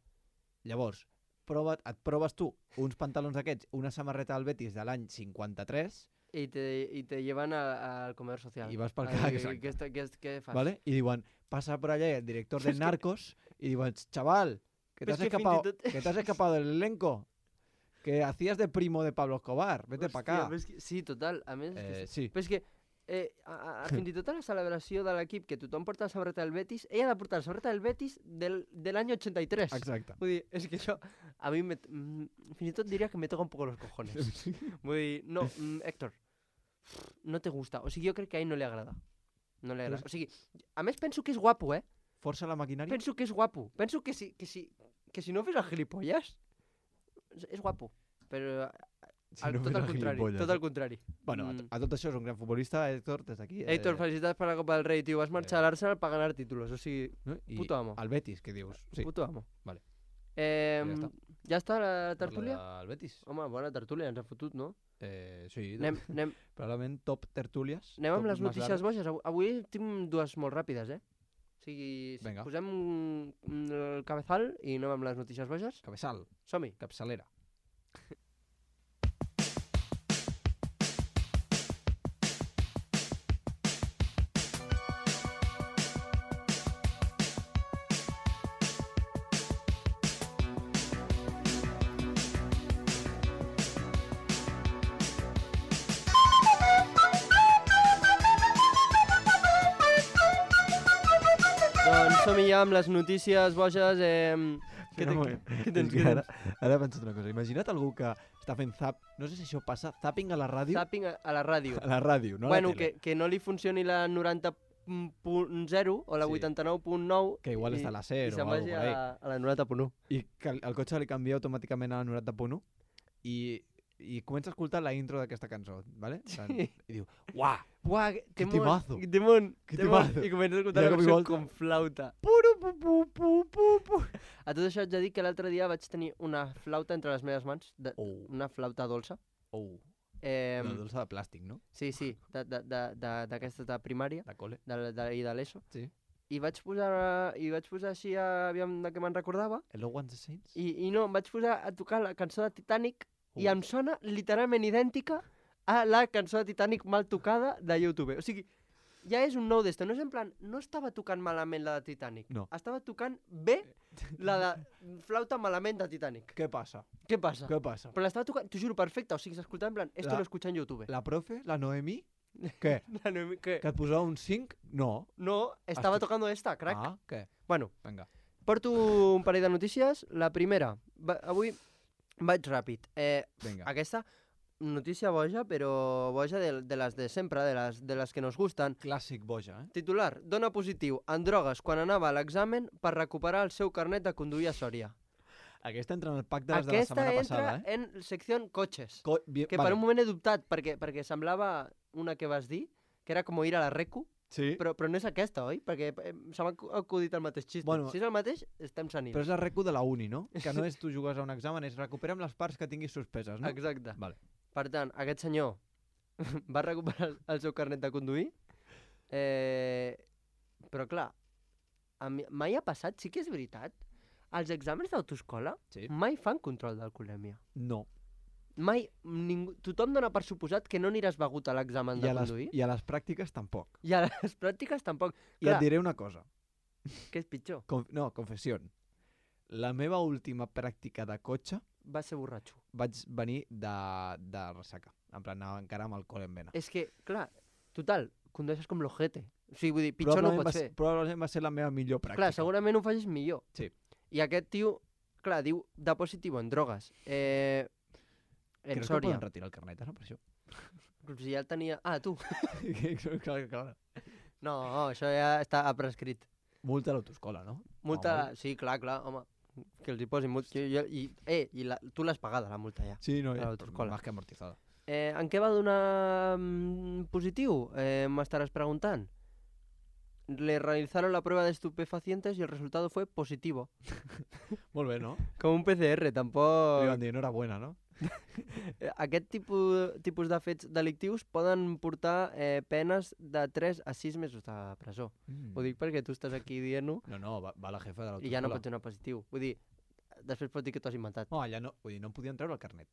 Llavors, prova, et proves tu uns pantalons d'aquests, una samarreta del Betis de l'any cinquanta-tres, I te, i te llevan a- al comedor social. I vas pel A ca- dir, exacte. Què, està- què, què fas? ¿vale? Y diuen, pasa por allá el director de Es que- Narcos y diuen, chaval, que te Pero has es que escapado, fins i tot- que te has escapado del elenco, que hacías de primo de Pablo Escobar, vete para Hòstia, acá. però és que, sí, total. A més, és que Eh, sí, Però és que, eh, a, a, fins i tot a la celebració de l'equip, que tothom porta la samarreta del Betis, ella ha de portar la samarreta del Betis del, de l'any ochenta-tres. exacte. Vull dir, és que això, a mi, me, mm, fins i tot diria que me toca un poco los cojones. Vull dir, no, mm, Héctor, no te gusta. O sigui, jo crec que a ell no li agrada. No li agrada. O sigui, a més penso que és guapo, eh? Força la maquinària. Penso que és guapo. Penso que si, que si, que si no fes el gilipolles, és, és guapo. Però Si al, no tot fes al el contrari, gilipolles. tot al contrari. Bueno, a, Mm. a tot això és un gran futbolista, Héctor, des d'aquí. eh, Héctor, felicitats per la Copa del Rei, tio. Vas marxar Eh. a l'Arsenal per ganar títulos. O sigui, no? I puto amo. al Betis, que dius? Sí, puto amo. Vale. Eh, Ja està. ja està la tertúlia? Al Betis. Home, bona tertúlia, ens ha fotut, no? Eh, sí, Anem, anem, probablement top tertúlies. anem amb top les más notícies largas. boges. Avui, avui tinc dues molt ràpides, eh? O sigui, Vinga. posem mm, el cabezal i anem amb les notícies boges. Cabezal, Som-hi. capçalera. Doncs som-hi ja amb les notícies boges. Eh, què, No, te, moment. què, què És tens? que Què ara, tens? ara he pensat una cosa. Imagina't algú que està fent zap... No sé si això passa, zapping a la ràdio. Zapping a, a la ràdio. A la ràdio, no a bueno, la tele. que, que no li funcioni la noranta punt zero o la Sí. vuitanta-nou punt nou Que igual i- està a la i SER o se'n alguna vagi cosa por ahí. a, a la noranta punt u. I que el, el cotxe li canvia automàticament a la noranta punt u i, i comença a escoltar la intro d'aquesta cançó, ¿vale? En plan, Sí. I diu, uah, Uah, que, Que temón, temazo. que temón, Que temón. temazo. I comença a escoltar I la de cop i cançó volta. con flauta. puru, pu, pu, pu, pu, pu. A tot això haig de dir que l'altre dia vaig tenir una flauta entre les meves mans, de, Oh. una flauta dolça. Oh. Eh, La dolça de plàstic, no? sí, sí, de- de- de- de- d'aquesta de, de primària De col·le. de, de, i de l'ESO. Sí. I vaig posar, i vaig posar així, a, aviam de què me'n recordava, Hello, Once the Saints? i, i no, em vaig posar a tocar la cançó de Titanic i Uh. em sona literalment idèntica a la cançó de Titanic mal tocada de YouTube. O sigui, ja és un nou d'esto. No és en plan, no estava tocant malament la de Titanic. No. Estava tocant bé la de flauta malament de Titanic. Què passa? Què passa? Què passa? Però l'estava tocant, t'ho juro, perfecte. O sigui, s'escoltava en plan, esto La- lo escucha en YouTube. La profe, la Noemí, què? La Noemi- que... Que et posava un cinc? No. No, estava Estic- tocando esta, crac. Ah, què? Bueno, Vinga. porto un parell de notícies. La primera, va, avui vaig ràpid. Eh, Vinga. aquesta notícia boja, però boja de, de les de sempre, de les, de les que nos gusten. Clàssic boja, eh? Titular, dona positiu en drogues quan anava a l'examen per recuperar el seu carnet de conduir a Sòria. Aquesta entra en el pack de les de la Aquesta setmana entra passada, eh? en secció cotxes, Co bien, que vale. per un moment he dubtat, perquè, perquè semblava una que vas dir, que era com ir a la Recu, Sí, però, però no és aquesta, oi? Perquè eh, se m'ha acu- acudit el mateix xiste. Bueno, si és el mateix, estem senils. però és la recu de la uni, no? Que no és tu jugues a un examen, és recuperem les parts que tinguis suspeses, no? Exacte. Vale. Per tant, aquest senyor va recuperar el- el seu carnet de conduir, eh, però clar, a mi, mai ha passat, sí que és veritat, els exàmens d'autoescola Sí. mai fan control d'alcoholèmia. No. Mai, ningú, tothom dona per suposat que no aniràs begut a l'examen I de a, les, conduir. I a les pràctiques tampoc. I a les pràctiques tampoc. I Clar, et diré una cosa. què és pitjor? Conf no, confessió. La meva última pràctica de cotxe Va ser borratxo. vaig venir de, de ressaca. En plan, anava encara amb alcohol en vena. És que, clar, total, condueixes com l'ojete. O sigui, vull dir, pitjor no ho Probablement pots va, fer. ser- probablement va ser la meva millor pràctica. Clar, segurament ho facis millor. Sí. I aquest tio, clar, diu de positiu en drogues. Eh, en Crec que Sòria. poden retirar el carnet, ara, per això. Si ja el tenia... Ah, tu. clar, clar. No, això ja està prescrit. Multa a l'autoescola, no? Multa... Home. Sí, clar, clar, home. Que els hi posin multa. I, i, eh, i la, tu l'has pagada, la multa, ja. Sí, no, A ja, l'autoescola. más que amortizada. Eh, en què va donar mm, positiu? Eh, M'estaràs preguntant. Le realizaron la prueba de estupefacientes y el resultado fue positivo. Molt bé, no? Com un P C R, Li tampoc... van dir, enhorabuena, no? Eh, Aquest tipus, tipus de fets delictius poden portar eh, penes de tres a sis mesos de presó. Mm. Ho dic perquè tu estàs aquí dient-ho No, no, va, va la jefa de l'autoescola. i ja no pots donar positiu. Vull dir, després pots dir que t'ho has inventat. No, allà no, vull dir, no em podien treure el carnet.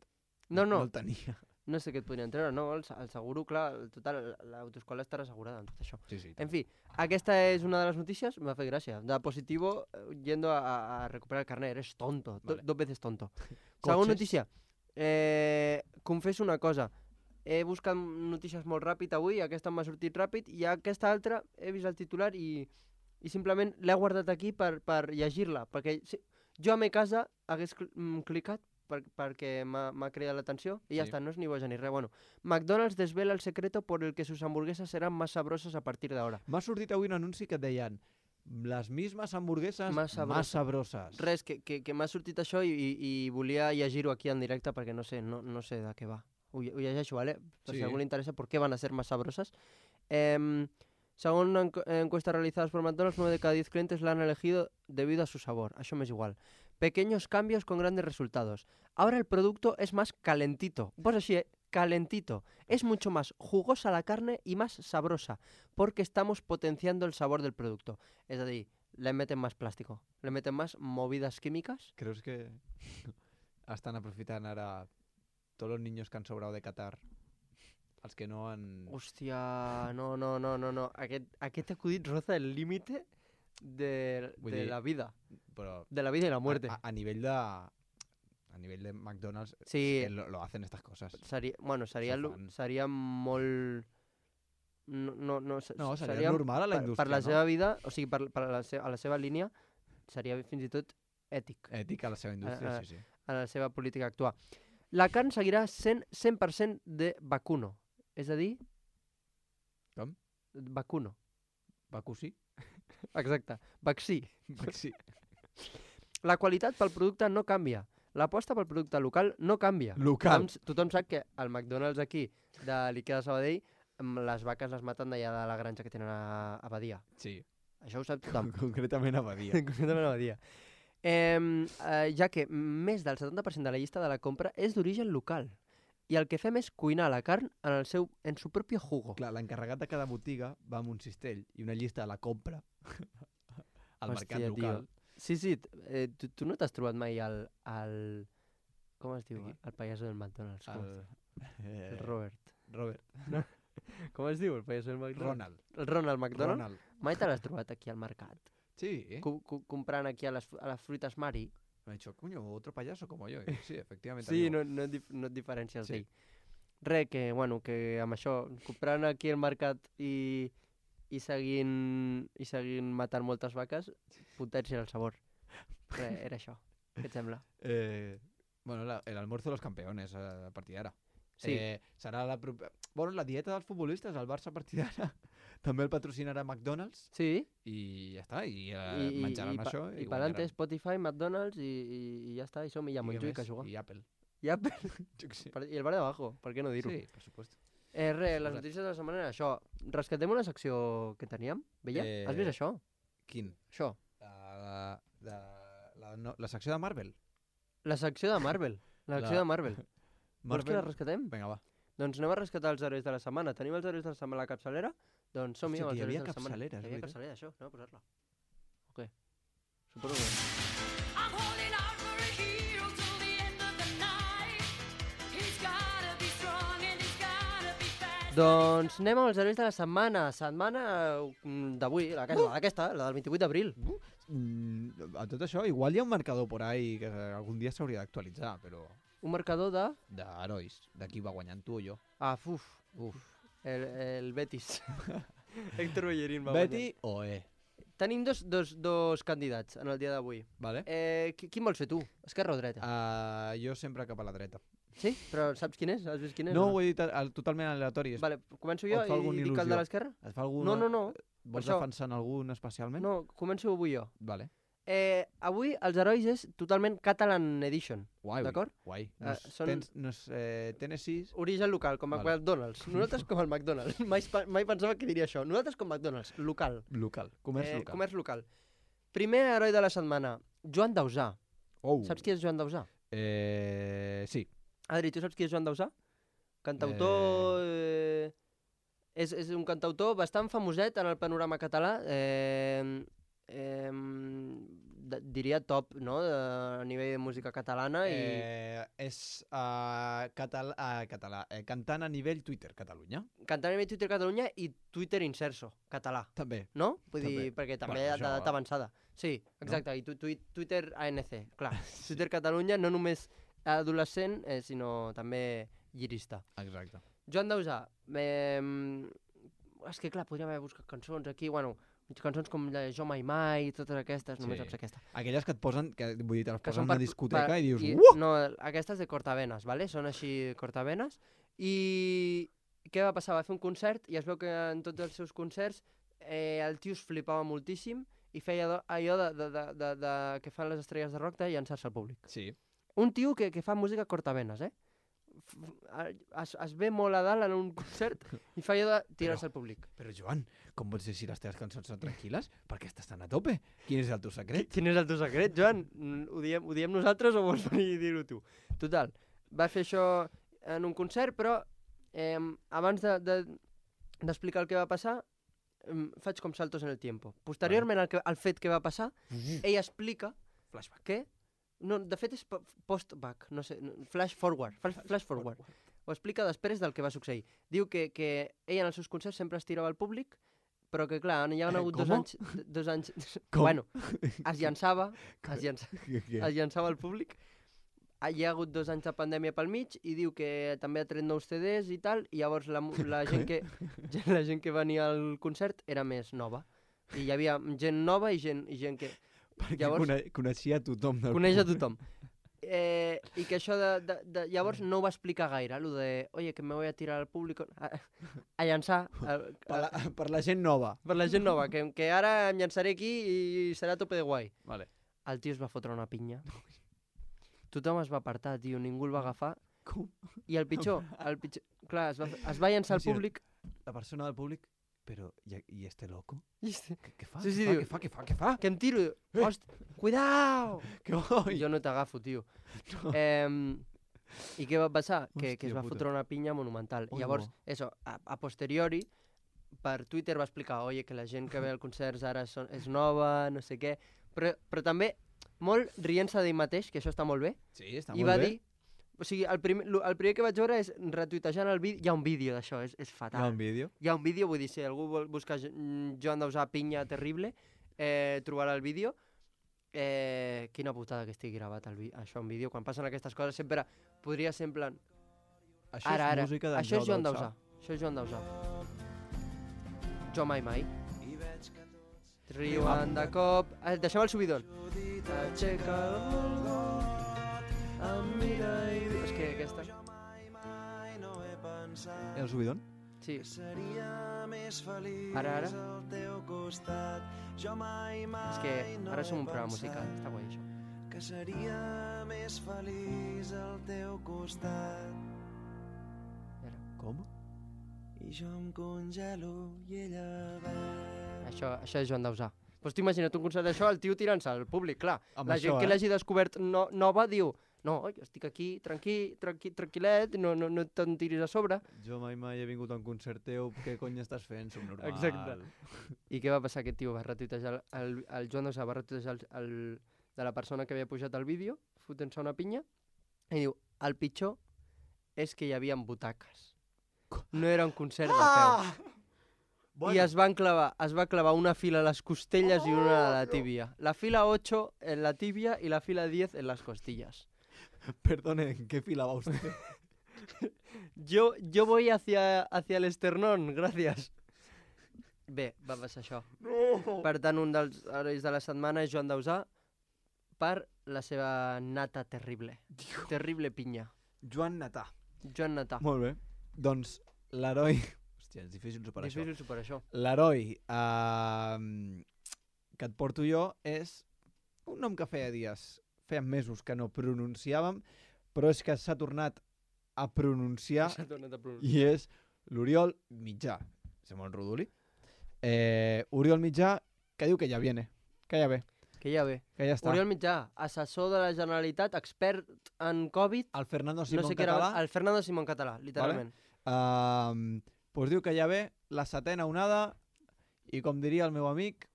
No, no, No el tenia. no sé què et podrien treure, no? El, se- el seguro, clar, el total, l'autoescola estarà assegurada en tot això. Sí, sí. En fi, aquesta és una de les notícies, m'ha fet gràcia. De positivo, eh, yendo a, a- a recuperar el carnet, eres tonto, do- Vale. dos veces tonto. Segona Cotxes. notícia, eh, confesso una cosa, he buscat notícies molt ràpid avui, aquesta m'ha sortit ràpid, i aquesta altra he vist el titular i, i simplement l'he guardat aquí per, per llegir-la, perquè si, jo a mi casa hagués cl mm, clicat per, perquè m'ha m'ha cridat l'atenció i ja Sí. està, no és ni boja ni res. Bueno, McDonald's desvela el secreto por el que sus hamburguesas serán más sabrosas a partir de ahora. M'ha sortit avui un anunci que et deien les mismes hamburgueses Más sabrosas. más sabroses. Res, que, que, que m'ha sortit això i, i, i volia llegir-ho aquí en directe perquè no sé, no, no sé de què va. Ho, lle- ho llegeixo, ¿vale? Per Sí. si a algú li interessa por qué van a ser más sabrosas. Eh, según una encu- encuesta realizada por McDonald's, nueve de cada diez clientes la han elegido debido a su sabor. Això m'és igual. Pequeños cambios con grandes resultados. Ahora el producto es más calentito. Pues así, ¿eh? Calentito. Es mucho más jugosa la carne y más sabrosa, porque estamos potenciando el sabor del producto. Es decir, le meten más plástico, le meten más movidas químicas. Creus que estan aprofitant ara tots els niños que han sobrado de Qatar? Els que no han... Hòstia, no, no, no, no, no. Aquest, aquest acudit roza el límite de, Vull de dir, la vida. Però De la vida y la muerte. a, a nivell de... A nivell de McDonald's Sí. es que lo, lo hacen estas cosas. Seria, bueno, seria, Se lo- fan. seria molt... No, no, no, se- No, seria normal a la per, indústria, per la no? seva vida, o sigui, per, per la, se, a la seva línia, seria fins i tot ètic, Ètica a la seva indústria, Ah, ah. sí, sí. a la seva política actual. La carn seguirà sent cent per cent de vacuno, és a dir... Com? Vacuno, Baku sí? exacte, vaccí. Sí. La qualitat pel producte no canvia. L'aposta pel producte local no canvia. Local. Tothom, tothom sap que al McDonald's aquí, de l'Ikea de Sabadell, mm, les vaques les maten d'allà de la granja que tenen a, a Badia. Sí. Això ho sap tothom. Concretament a Badia. Concretament a Badia. Eh, eh, ja que més del setanta per cent de la llista de la compra és d'origen local. I el que fem és cuinar la carn en, el seu, en su propio jugo. Clar, l'encarregat de cada botiga va amb un cistell i una llista de la compra al Hòstia, mercat local. Tio. Sí, sí, eh, tu, tu no t'has trobat mai al... al... Com es diu? Aquí? El pallasso del McDonald's. Com El, es diu? eh, el Robert. Robert. Com es diu el pallasso del McDonald's? Ronald. El Ronald McDonald? Ronald. Mai te l'has trobat aquí al mercat? Sí. Co co comprant aquí a les, a les fruites Mari? Me ha dicho, coño, otro payaso como yo. Y sí, efectivamente. Sí, amigo. no, no, et dif no et diferències Sí. d'ell. Re, que, bueno, que amb això, comprant aquí al mercat i, i, seguint, i seguint matant moltes vaques, potència el sabor. Re, era això. Què et sembla? Eh, bueno, la, el almuerzo de los campeones eh, a partir d'ara. Sí. Eh, serà la, prope- bueno, la dieta dels futbolistes, el Barça a partir d'ara també el patrocinarà McDonald's Sí, i ja està, i, eh, i, i, menjaran i, pa- això i i pa'lante guanyaran. Spotify, McDonald's i, i, i ja està, i som i ja I què Montjuïc més? a jugar. I Apple. Ja, Jo què sé. I el bar de abajo, per què no dir-ho? Sí, per supuesto. Eh, re, les Suposat. notícies de la setmana era això. Rescatem una secció que teníem, veia? Eh, Has vist això? Quin? Això. La, la, la, no, la secció de Marvel. La secció de Marvel. La secció La- de Marvel. Vols que la rescatem? Vinga, va. Doncs anem a rescatar els herois de la setmana. Tenim els herois de la setmana a la capçalera? Doncs som-hi Hòstia, amb que els hi herois havia de la setmana. capçalera, és Hi havia veritat. capçalera, això. Anem a posar-la. O què? Suposo que... I'm holding out for a hero till the end of the night. He's gotta be strong and he's gotta be fast. Doncs anem amb els herois de la setmana. Setmana mm, d'avui, la aquesta, la d'aquesta, la del vint-i-vuit d'abril. Mm, a tot això, igual hi ha un marcador por ahí que algun dia s'hauria d'actualitzar, però Un marcador de... d'herois, de qui va guanyant tu o jo. Ah, uf, uf. El, el Betis. Héctor Bellerín va Betty o E. guanyar. Tenim dos, dos, dos candidats en el dia d'avui. Vale? Eh, qui- quin vols fer tu? Esquerra o dreta? Uh, jo sempre cap a la dreta. Sí? Però saps quin és? Has vist quin és? No, o ho he dit al- totalment aleatori. Es- Vale, començo o jo et fa i alguna dic el de il·lusió? l'esquerra? Et fa algun... No, no, no. Vols això- defensar en algun especialment? No, començo avui jo. Vale. Eh, avui els herois és totalment Catalan Edition. Guai, D'acord? Guai. No Eh, és, són- tens, no és eh, Tennessee... Origen local, com a Vale. McDonald's. Nosaltres com el McDonald's. Mai, pa- mai pensava que diria això. Nosaltres com McDonald's, local. Local. Comerç Eh, local. Comerç local. Primer heroi de la setmana, Joan Dausà. Oh. Saps qui és Joan Dausà? Eh, sí. Adri, tu saps qui és Joan Dausà? Cantautor... Eh... És, és un cantautor bastant famoset en el panorama català. Eh... Eh... de- diria top, no?, de, a nivell de música catalana i... Eh, és uh, català, uh, català eh, cantant a nivell Twitter Catalunya. Cantant a nivell Twitter Catalunya i Twitter Inserso, català. També. No? Vull També. dir, perquè també Bueno, bueno, això- d'edat avançada. Sí, exacte, no? I tu, tu, Twitter A N C, clar. Twitter Catalunya no només adolescent, eh, sinó també llirista. Exacte. Joan Dausà, eh, és que clar, podríem haver buscat cançons aquí, bueno, cançons com la Jo Mai Mai, totes aquestes, només Sí. saps aquesta. Aquelles que et posen, que vull dir, te les Que posen són a una per- discoteca per- i dius, i, uh! No, aquestes de cortavenes, ¿vale? Són així cortavenes. I què va passar? Va fer un concert i es veu que en tots els seus concerts eh, el tio es flipava moltíssim i feia do- allò de, de, de, de, de, que fan les estrelles de rock de llançar-se al públic. Sí. Un tio que, que fa música cortavenes, eh? F- f- Es, es ve molt a dalt en un concert i fa allò de tirar-se al públic. Però Joan, com pots dir si les teves cançons són tranquil·les? Per què estàs tan a tope? Quin és el teu secret? Quin és el teu secret, Joan? Mm, Ho diem, ho diem nosaltres o vols venir i dir-ho tu? Total, va fer això en un concert, però eh, abans de, de, d'explicar el que va passar, em, faig com saltos en el tiempo. Posteriorment al, que, al fet que va passar, ell explica Flashback. que... No, de fet és po- post-back, no sé, no, flash forward, flash, flash forward. Ho explica després del que va succeir. Diu que, que ell en els seus concerts sempre es tirava al públic, però que clar, hi ha Eh, hagut dos com? anys... d- Dos anys... Com? Bueno, es llançava, es, llança, Què, què? es llançava al públic. Ah, Hi ha hagut dos anys de pandèmia pel mig i diu que també ha tret nous C Ds i tal, i llavors la, mu- la, gent que, la gent que venia al concert era més nova. I hi havia gent nova i gent, i gent que Perquè llavors- cone coneixia tothom del coneix a públic. tothom. Eh, I que això de, de, de... Llavors no ho va explicar gaire, allò de oye, que me voy a tirar al públic a, a llançar a, Per a, la, per la gent nova. per la gent nova, que, que ara em llançaré aquí i serà a tope de guai. Vale. El tio es va fotre una pinya. Tothom es va apartar, tio, ningú el va agafar. Com? I el pitjor, el pitjor... Clar, es va, es va llançar al Imagina't. públic La persona del públic però, i, i este loco? I este- Què, què fa? Sí, sí, què, fa diu- què fa? Què fa? Què fa? Que em tiro. Host, cuidao! Què oi? Jo no t'agafo, tio. Eh, I què va passar? Que, que es Hòstia va puta. fotre una pinya monumental. Ui, Llavors, bo. eso, a, a posteriori, per Twitter va explicar, oye, que la gent que ve al concerts ara són, és nova, no sé què, però, però també molt rient-se d'ell mateix, que això està molt bé, Sí, està i molt va bé. dir, o sigui, el primer, lo- el primer que vaig veure és retuitejant el vídeo, hi ha un vídeo d'això, és, és Hi fatal. ha un vídeo. Hi ha un vídeo, vull dir, si algú vol buscar Jo- mm, Joan Dausà pinya terrible, eh, trobarà el vídeo. Eh, quina putada que estigui gravat el vi això en vídeo. Quan passen aquestes coses sempre podria ser en plan... Això Ara, és ara, música d'en això és Joan Dausà. Dausà. Això és Joan Dausà. Jo mai mai. Riuen de cop... Ah, deixem el subidon. Aixeca el got, em mira i... diu- És que aquesta... El subidon? Sí. Ara, ara. És que ara som un programa musical. Està guai, això. que seria més feliç al teu costat. Com? I jo em congelo i ella beu. Això, això és Joan Dausà. Pues tu imagina't un concert d'això, el tio tirant-se al públic, clar. Amb la això, gent que eh? l'hagi descobert no, nova diu no, oi, estic aquí tranquil, tranquil, tranquil·let, no, no, no te'n tiris a sobre. Jo mai mai he vingut a un concert teu, què cony estàs fent? Som normal. Exacte. I què va passar? Aquest tio va retuitejar, el, el, el Joan Dausà va retuitejar el, el, de la persona que havia pujat el vídeo, fotent-se una pinya, i diu, el pitjor és que hi havia butaques. No era un concert de peu. Bueno. I es van clavar, es va clavar una fila a les costelles i una a la tíbia. La fila ocho en la tibia i la fila diez en las costillas. Perdone, ¿en qué fila va usted? Yo, yo voy hacia, hacia el esternón, gracias. Bé, va passar això. No! Per tant, un dels herois de la setmana és Joan Dausà per la seva nata terrible. Terrible pinya. Joan Natà. Joan Natà. Molt bé. Doncs l'heroi... Hòstia, és difícil superar això. Difícil superar això. L'heroi uh, que et porto jo és un nom que feia dies, feia mesos que no pronunciàvem, però és que s'ha tornat a pronunciar S'ha tornat a pronunciar. i és l'Oriol Mitjà. Sembla molt rodoli. Eh, Oriol Mitjà, que diu que ja viene, que ja ve, Que ja ve. que ja està. Oriol Mitjà, assessor de la Generalitat, expert en Covid, El Fernando no Simón sé què era, català el Fernando Simón català, literalment. Uh, pues diu que ja ve la setena onada i com diria el meu amic,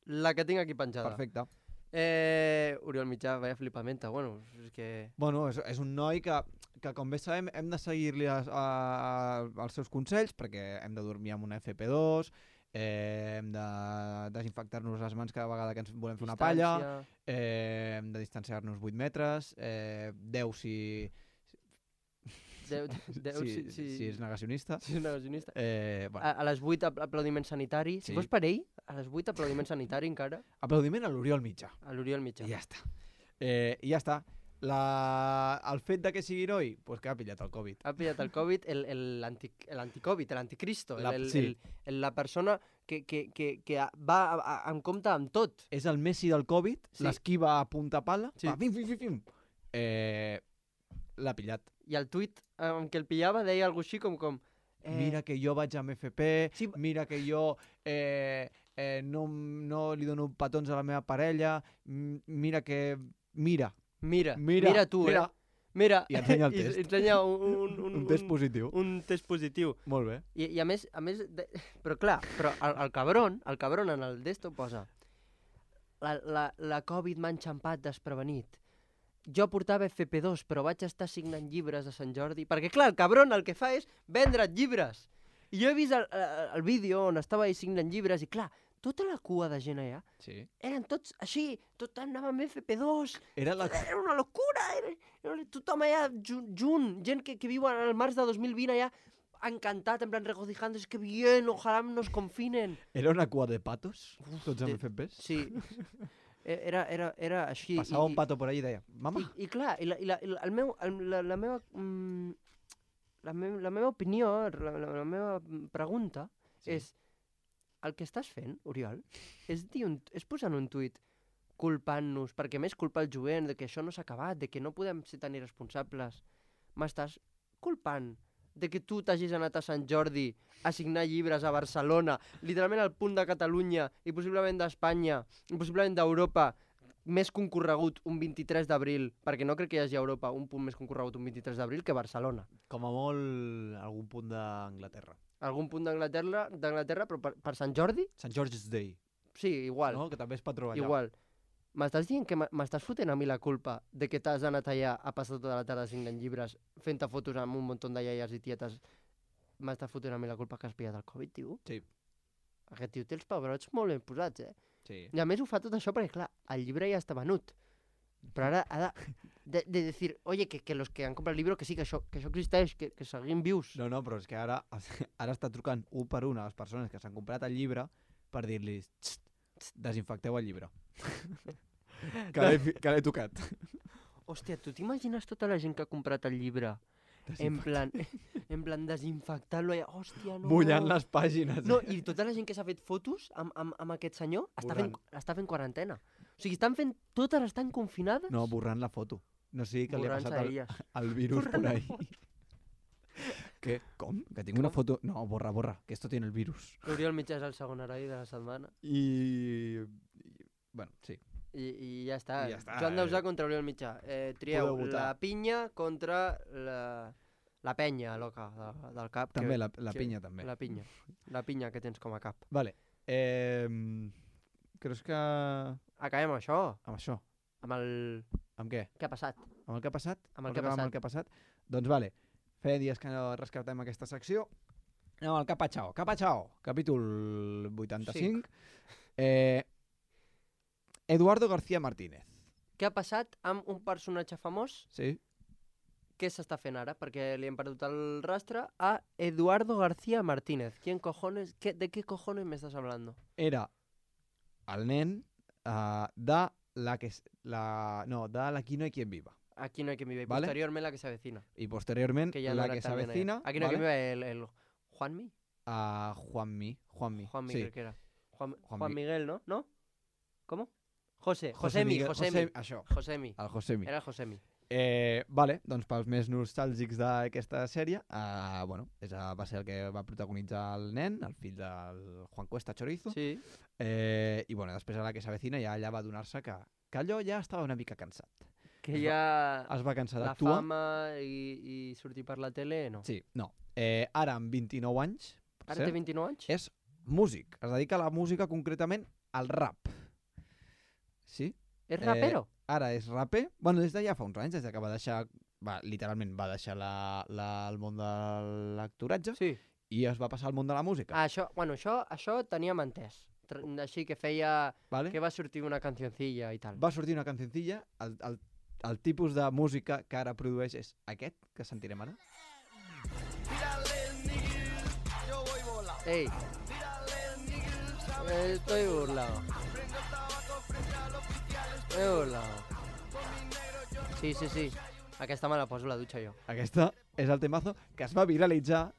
La que tinc aquí penjada. perfecte. Eh, Oriol Mitjà, vaya flipamenta, bueno, és que... Bueno, és, és un noi que, que com bé sabem hem de seguir-li a, a, a, els seus consells perquè hem de dormir amb una F P dos, eh, hem de desinfectar-nos les mans cada vegada que ens volem fer una palla, Distància. eh, hem de distanciar-nos vuit metres, eh, deu si, Deu, deu, si, sí, sí, si és negacionista. si és negacionista. Eh, bueno, A, a les vuit apl- aplaudiment sanitari. Si Sí. fos per ell, a les vuit aplaudiment sanitari encara, aplaudiment a l'Oriol Mitjà. a l'Oriol Mitjà. I ja està. Eh, I ja està. La... El fet de que sigui heroi, pues que ha pillat el Covid. Ha pillat el Covid, el, el, anti, l'anticovid, l'anticristo, La- el, el, sí. el, el, la persona que, que, que, que va a, a, en compte amb tot. És el Messi del Covid, Sí. l'esquiva a punta pala, Sí. va, fim, fim, fim, fim. Eh, l'ha pillat. I el tuit amb què el pillava deia alguna així com... com eh, Mira que jo vaig amb F P, Sí. mira que jo eh, eh, no, no li dono petons a la meva parella, m- mira que... Mira, Mira, mira, mira tu, mira. eh? Mira, I ensenya el i- test. ensenya un, un, un, un test positiu. un test positiu. Molt bé. I, i a més, a més de... però clar, però el, el cabron, el cabron en el d'esto posa la, la, la Covid m'ha enxampat desprevenit. Jo portava F P dos, però vaig estar signant llibres a Sant Jordi, perquè clar, el cabron el que fa és vendre't llibres. I jo he vist el, el, el vídeo on estava ell signant llibres i clar, tota la cua de gent allà Sí. eren tots així, tot anava amb F P dos, Era la... era una locura, era, era tothom allà junt, junt, gent que, que viu al març de dos mil vint allà encantat, en plan regocijándose, que bien, ojalá nos confinen. Era una cua de patos, tots amb de- F Ps. Sí, E- era, era, era així. Passava i, un pato por ahí i deia, mama, I, i clar, i la, i la, i la, el meu, el, la, la meva... Mm, la, me, la meva opinió, la, la, la meva pregunta Sí. és el que estàs fent, Oriol, és, dir un, és posar un tuit culpant-nos, perquè a més culpa el jovent, de que això no s'ha acabat, de que no podem ser tan irresponsables. M'estàs culpant de que tu t'hagis anat a Sant Jordi a signar llibres a Barcelona, literalment al punt de Catalunya i possiblement d'Espanya, i possiblement d'Europa, més concorregut un vint-i-tres d'abril, perquè no crec que hi hagi a Europa un punt més concorregut un vint-i-tres d'abril que Barcelona. Com a molt algun punt d'Anglaterra. Algun punt d'Anglaterra, d'Anglaterra, però per, per Sant Jordi? Sant George's Day, Sí, igual. no? Que també es patró allà. Igual. M'estàs dient que m'estàs fotent a mi la culpa de que t'has anat allà a passar tota la tarda signant llibres, fent-te fotos amb un munt de iaies i tietes? M'estàs fotent a mi la culpa que has pillat el Covid, tio? Sí. Aquest tio té els pebrots molt ben posats, eh? Sí. I a més ho fa tot això perquè, clar, el llibre ja està venut. Però ara ha de, de, de dir, oye, que, que los que han comprat el llibre, que sí, que això, que això existeix, que, que seguim vius. No, no, però és que ara, ara està trucant un per una a les persones que s'han comprat el llibre per dir-los "Txt, txt, desinfecteu el llibre. que l'he fi- que l'he tocat. Hòstia, tu t'imagines tota la gent que ha comprat el llibre en plan, en plan desinfectant-lo allà? Hòstia, no. Mullant les pàgines. No, i tota la gent que s'ha fet fotos amb, amb, amb aquest senyor està fent, està fent quarantena. O sigui, estan fent, totes estan confinades. No, borrant la foto. No sigui que li ha borrant-se passat el, elles. el virus Borrant por la ahí. ¿Qué? ¿Com? Que tinc una Com? foto... No, borra, borra, que esto tiene el virus. L'Oriol Mitjà és el segon heroi de la setmana. I... i bueno, sí. I, i ja està. I ja està, Joan Dausà eh. contra Oriol Mitjà. Eh, trieu Podeu votar. la pinya contra la, la penya, loca, de, del cap. També, que, la, la que- pinya també. La pinya. La pinya que tens com a cap. Vale. Eh, creus que... Acabem amb això. Amb això. Amb el... Amb què? Què ha passat? Amb el que ha passat? Amb el Vols que ha acabar passat. Amb el que ha passat? Doncs vale. Feia dies que no rescatem aquesta secció. Anem al Capachao. Capachao, capítol vuitanta-cinc. Eh, Eduardo García Martínez. Què ha passat amb un personatge famós? Sí? Què s'està fent ara? Perquè li hem perdut el rastre a Eduardo García Martínez. ¿Quién cojones? ¿Qué, ¿De qué cojones me estás hablando? Era el nen uh, de la que... s- La, no, de l'Aquí no hay quien viva. Aquí no hay que vive. Y Vale. posteriorment la que se avecina. I posteriorment Que ya no la era que tan nena ya. s'avecina... Aquí no hay vale? que vive el, el Juanmi. A Juanmi. Juanmi. Juanmi sí. creo que era. Juan, Juan Juan Mi- Miguel, ¿no? ¿No? ¿Cómo? José. José Josemi, Miguel- Josemi. José- Això, Josemi. el Josemi. Era Josemi. Eh, vale, doncs pels més nostàlgics d'aquesta sèrie, eh, bueno, és, a- va ser el que va protagonitzar el nen, el fill del Juan Cuesta Chorizo, Sí. eh, i bueno, després a la que s'avecina ja allà va donar-se que, que allò ja estava una mica cansat. Que ja... Es va cansar La d'actuar. fama i, i sortir per la tele, no. Sí, no. Eh, ara, amb vint-i-nou anys, per Ara té cert, vint-i-nou anys? és músic. Es dedica a la música, concretament al rap. Sí? És rapero? Ara és raper. Bueno, des de ja fa uns anys, des de que va deixar... Va, literalment va deixar la, la, el món de l'actoratge Sí. i es va passar al món de la música. Ah, això, bueno, això, això teníem entès. Tr- Així que feia... vale? Que va sortir una cancioncilla i tal. Va sortir una cancioncilla, el, el, el tipus de música que ara produeix és aquest, que sentirem ara. Ei. Estoy burlado. Estoy burlado. Sí, sí, sí. Aquesta me la poso a la dutxa jo. Aquesta és el temazo que es va viralitzar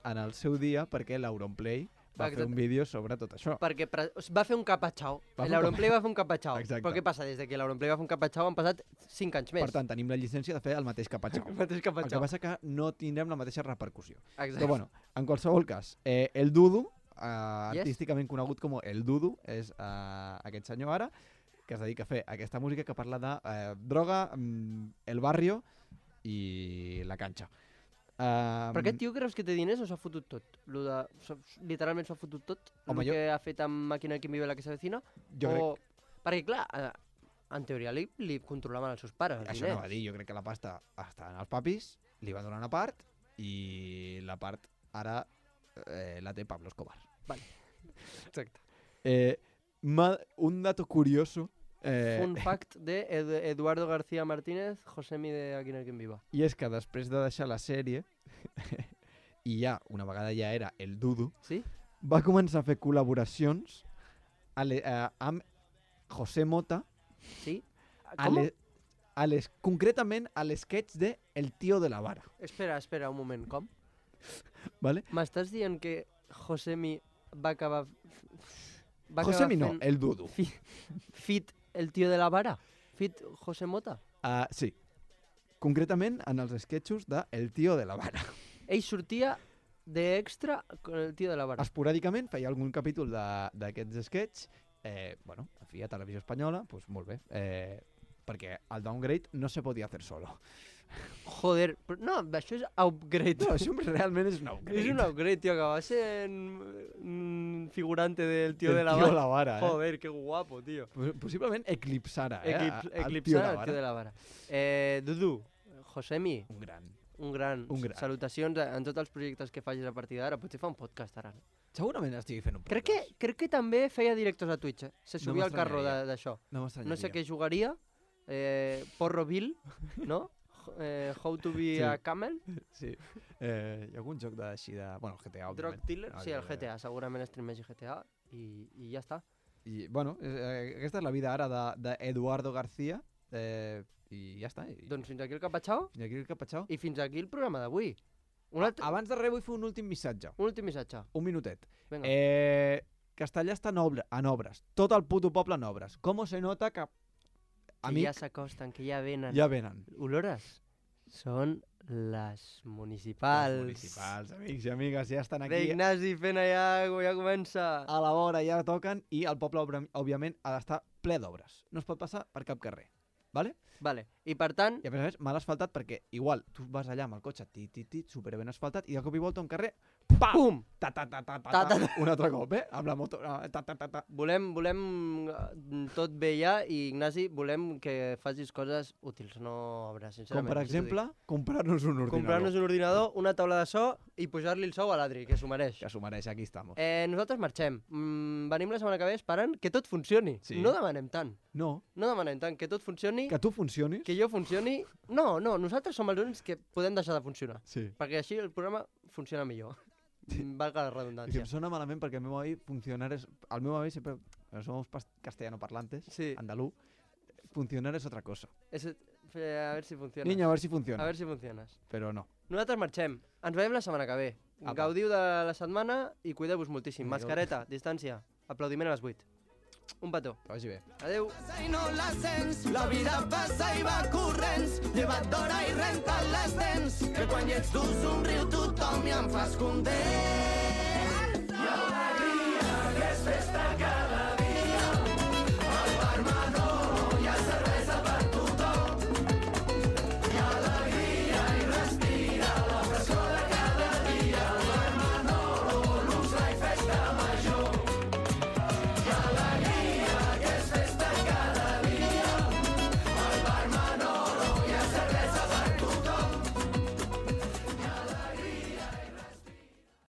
en el seu dia perquè l'Auronplay va Exacte. fer un vídeo sobre tot això. Perquè pre- va fer un capatxau. Va fer un L'Auronplay va fer un capatxau. Exacte. Però què passa? Des de que l'Auronplay va fer un capatxau han passat cinc anys més. Per tant, tenim la llicència de fer el mateix capatxau. el mateix El que capatxau. passa que no tindrem la mateixa repercussió. Exacte. Però bueno, en qualsevol cas, eh, el Dudu, eh, Yes. artísticament conegut com el Dudu, és eh, aquest senyor ara, que es dedica a fer aquesta música que parla de eh, droga, mm, el barrio i la canxa. Uh, Però aquest tio creus que té diners o s'ha fotut tot? Lo de, s'ha- literalment s'ha fotut tot? Home, el jo- que ha fet amb Màquina que vive la que s'avecina? Jo crec, O... Perquè clar, eh, en teoria li, li controlaven els seus pares, els això diners. no va dir, jo crec que la pasta està en els papis, li va donar una part i la part ara eh, la té Pablo Escobar. Exacte. Eh, ma- un dato curioso eh, Un fact de Ed- Eduardo García Martínez, Josemi de Aquí no hay quien viva. i és que després de deixar la sèrie i ja, una vegada ja era el Dudu, Sí? va començar a fer col·laboracions a le, a, amb José Mota, Sí? a Com? le, a les, concretament a l'esquetx de El tío de la vara. Espera, espera un moment, com? ¿Vale? M'estàs dient que Josemi va acabar... Va acabar Josemi no, fent el Dudu. fi- Fit el tio de la vara? Fit José Mota? Uh, sí, concretament en els esquetxos de El tío de la vara. ell sortia d'extra con el tio de la vara. Esporàdicament feia algun capítol de- d'aquests sketch, eh, bueno, a fi a Televisió Espanyola, doncs molt bé, eh, perquè el downgrade no se podia hacer solo. Joder, però no, això és upgrade. No, això realment és un upgrade. És un upgrade, tio, que va ser un figurante del tio Del de la tio vara. de la vara, eh? Joder, que guapo, tio. Pos- Possiblement eclipsara, eh? Eclips, a- al tio de eclipsar la el vara. tio de la vara. Eh, Dudu, Josemi, Un gran. un gran. Un gran. Salutacions en tots els projectes que facis a partir d'ara. Potser fa un podcast ara. No? Segurament estigui fent un Crec que, podcast. crec que també feia directos a Twitch, eh? Se No subia al carro de- m'estranyaria. d'això. No No m'estranyaria. sé què jugaria. Eh, Porro Bill, no? Eh, How to be Sí. a camel. Sí. Eh, hi ha algun joc de, així de... Bueno, el G T A, Drug òbviament. Dealer. Sí, el Òbviament. G T A. Segurament streamegi G T A. I, i ja està. I, bueno, eh, aquesta és la vida ara d'Eduardo de, García. Eh, I ja està. I, Doncs fins aquí el capatxau. I aquí el capatxau. I fins aquí el programa d'avui. Un, altre, Abans de res vull fer un últim missatge. un últim missatge. Un minutet. Vinga. Eh, Castellà està en, obra, en obres. Tot el puto poble en obres. Com se nota que... que Amic, ja s'acosten, que ja venen. ja venen. Olores. Són les municipals. Els municipals, amics i amigues, ja estan Bé, aquí. Ignasi, fent allà, ja comença. A la vora ja toquen i el poble, obra- òbviament, ha d'estar ple d'obres. No es pot passar per cap carrer. Vale? Vale. I per tant, I a més a més, mal asfaltat perquè igual tu vas allà amb el cotxe tit, tit, tit, superben asfaltat i de cop i volta un carrer, pam! pum! Ta, ta, ta, ta, ta, Ta, ta, ta, un altre cop, eh? Amb la moto, ah, ta, ta, ta, ta. Volem, volem eh, tot bé ja i, Ignasi, volem que facis coses útils, no obres, Com sincerament. per així t'ho dic. exemple, comprar-nos un ordinador. Comprar-nos un ordinador, una taula de so i pujar-li el sou a l'Adri, que s'ho mereix. Que s'ho mereix, aquí estamos. Eh, nosaltres marxem. Mm, venim la setmana que ve esperant que tot funcioni. Sí. No demanem tant. No, No demanem tant que tot funcioni, que tu funcionis. que jo funcioni. No, no, nosaltres som els únics que podem deixar de funcionar. Sí. Perquè així el programa funciona millor. Valga la I que redundància. em sona malament perquè el meu avi funcionar és... El meu avi sempre... Somos pas- castellano parlantes, Sí. andalú. Funcionar és otra cosa. És, eh, a veure si funciona. Niño, a ver si funciona. A veure si funciones. Però no. Nosaltres marxem. Ens veiem la setmana que ve. Apa. Gaudiu de la setmana i cuideu-vos moltíssim. Vinga. Mascareta, distància. Aplaudiment a les vuit. Un petó. Que vagi bé. Adeu. I no la sents, la vida passa i va corrents, lleva't d'hora i renta't les dents, que quan hi ets tu somriu tothom i em fas content.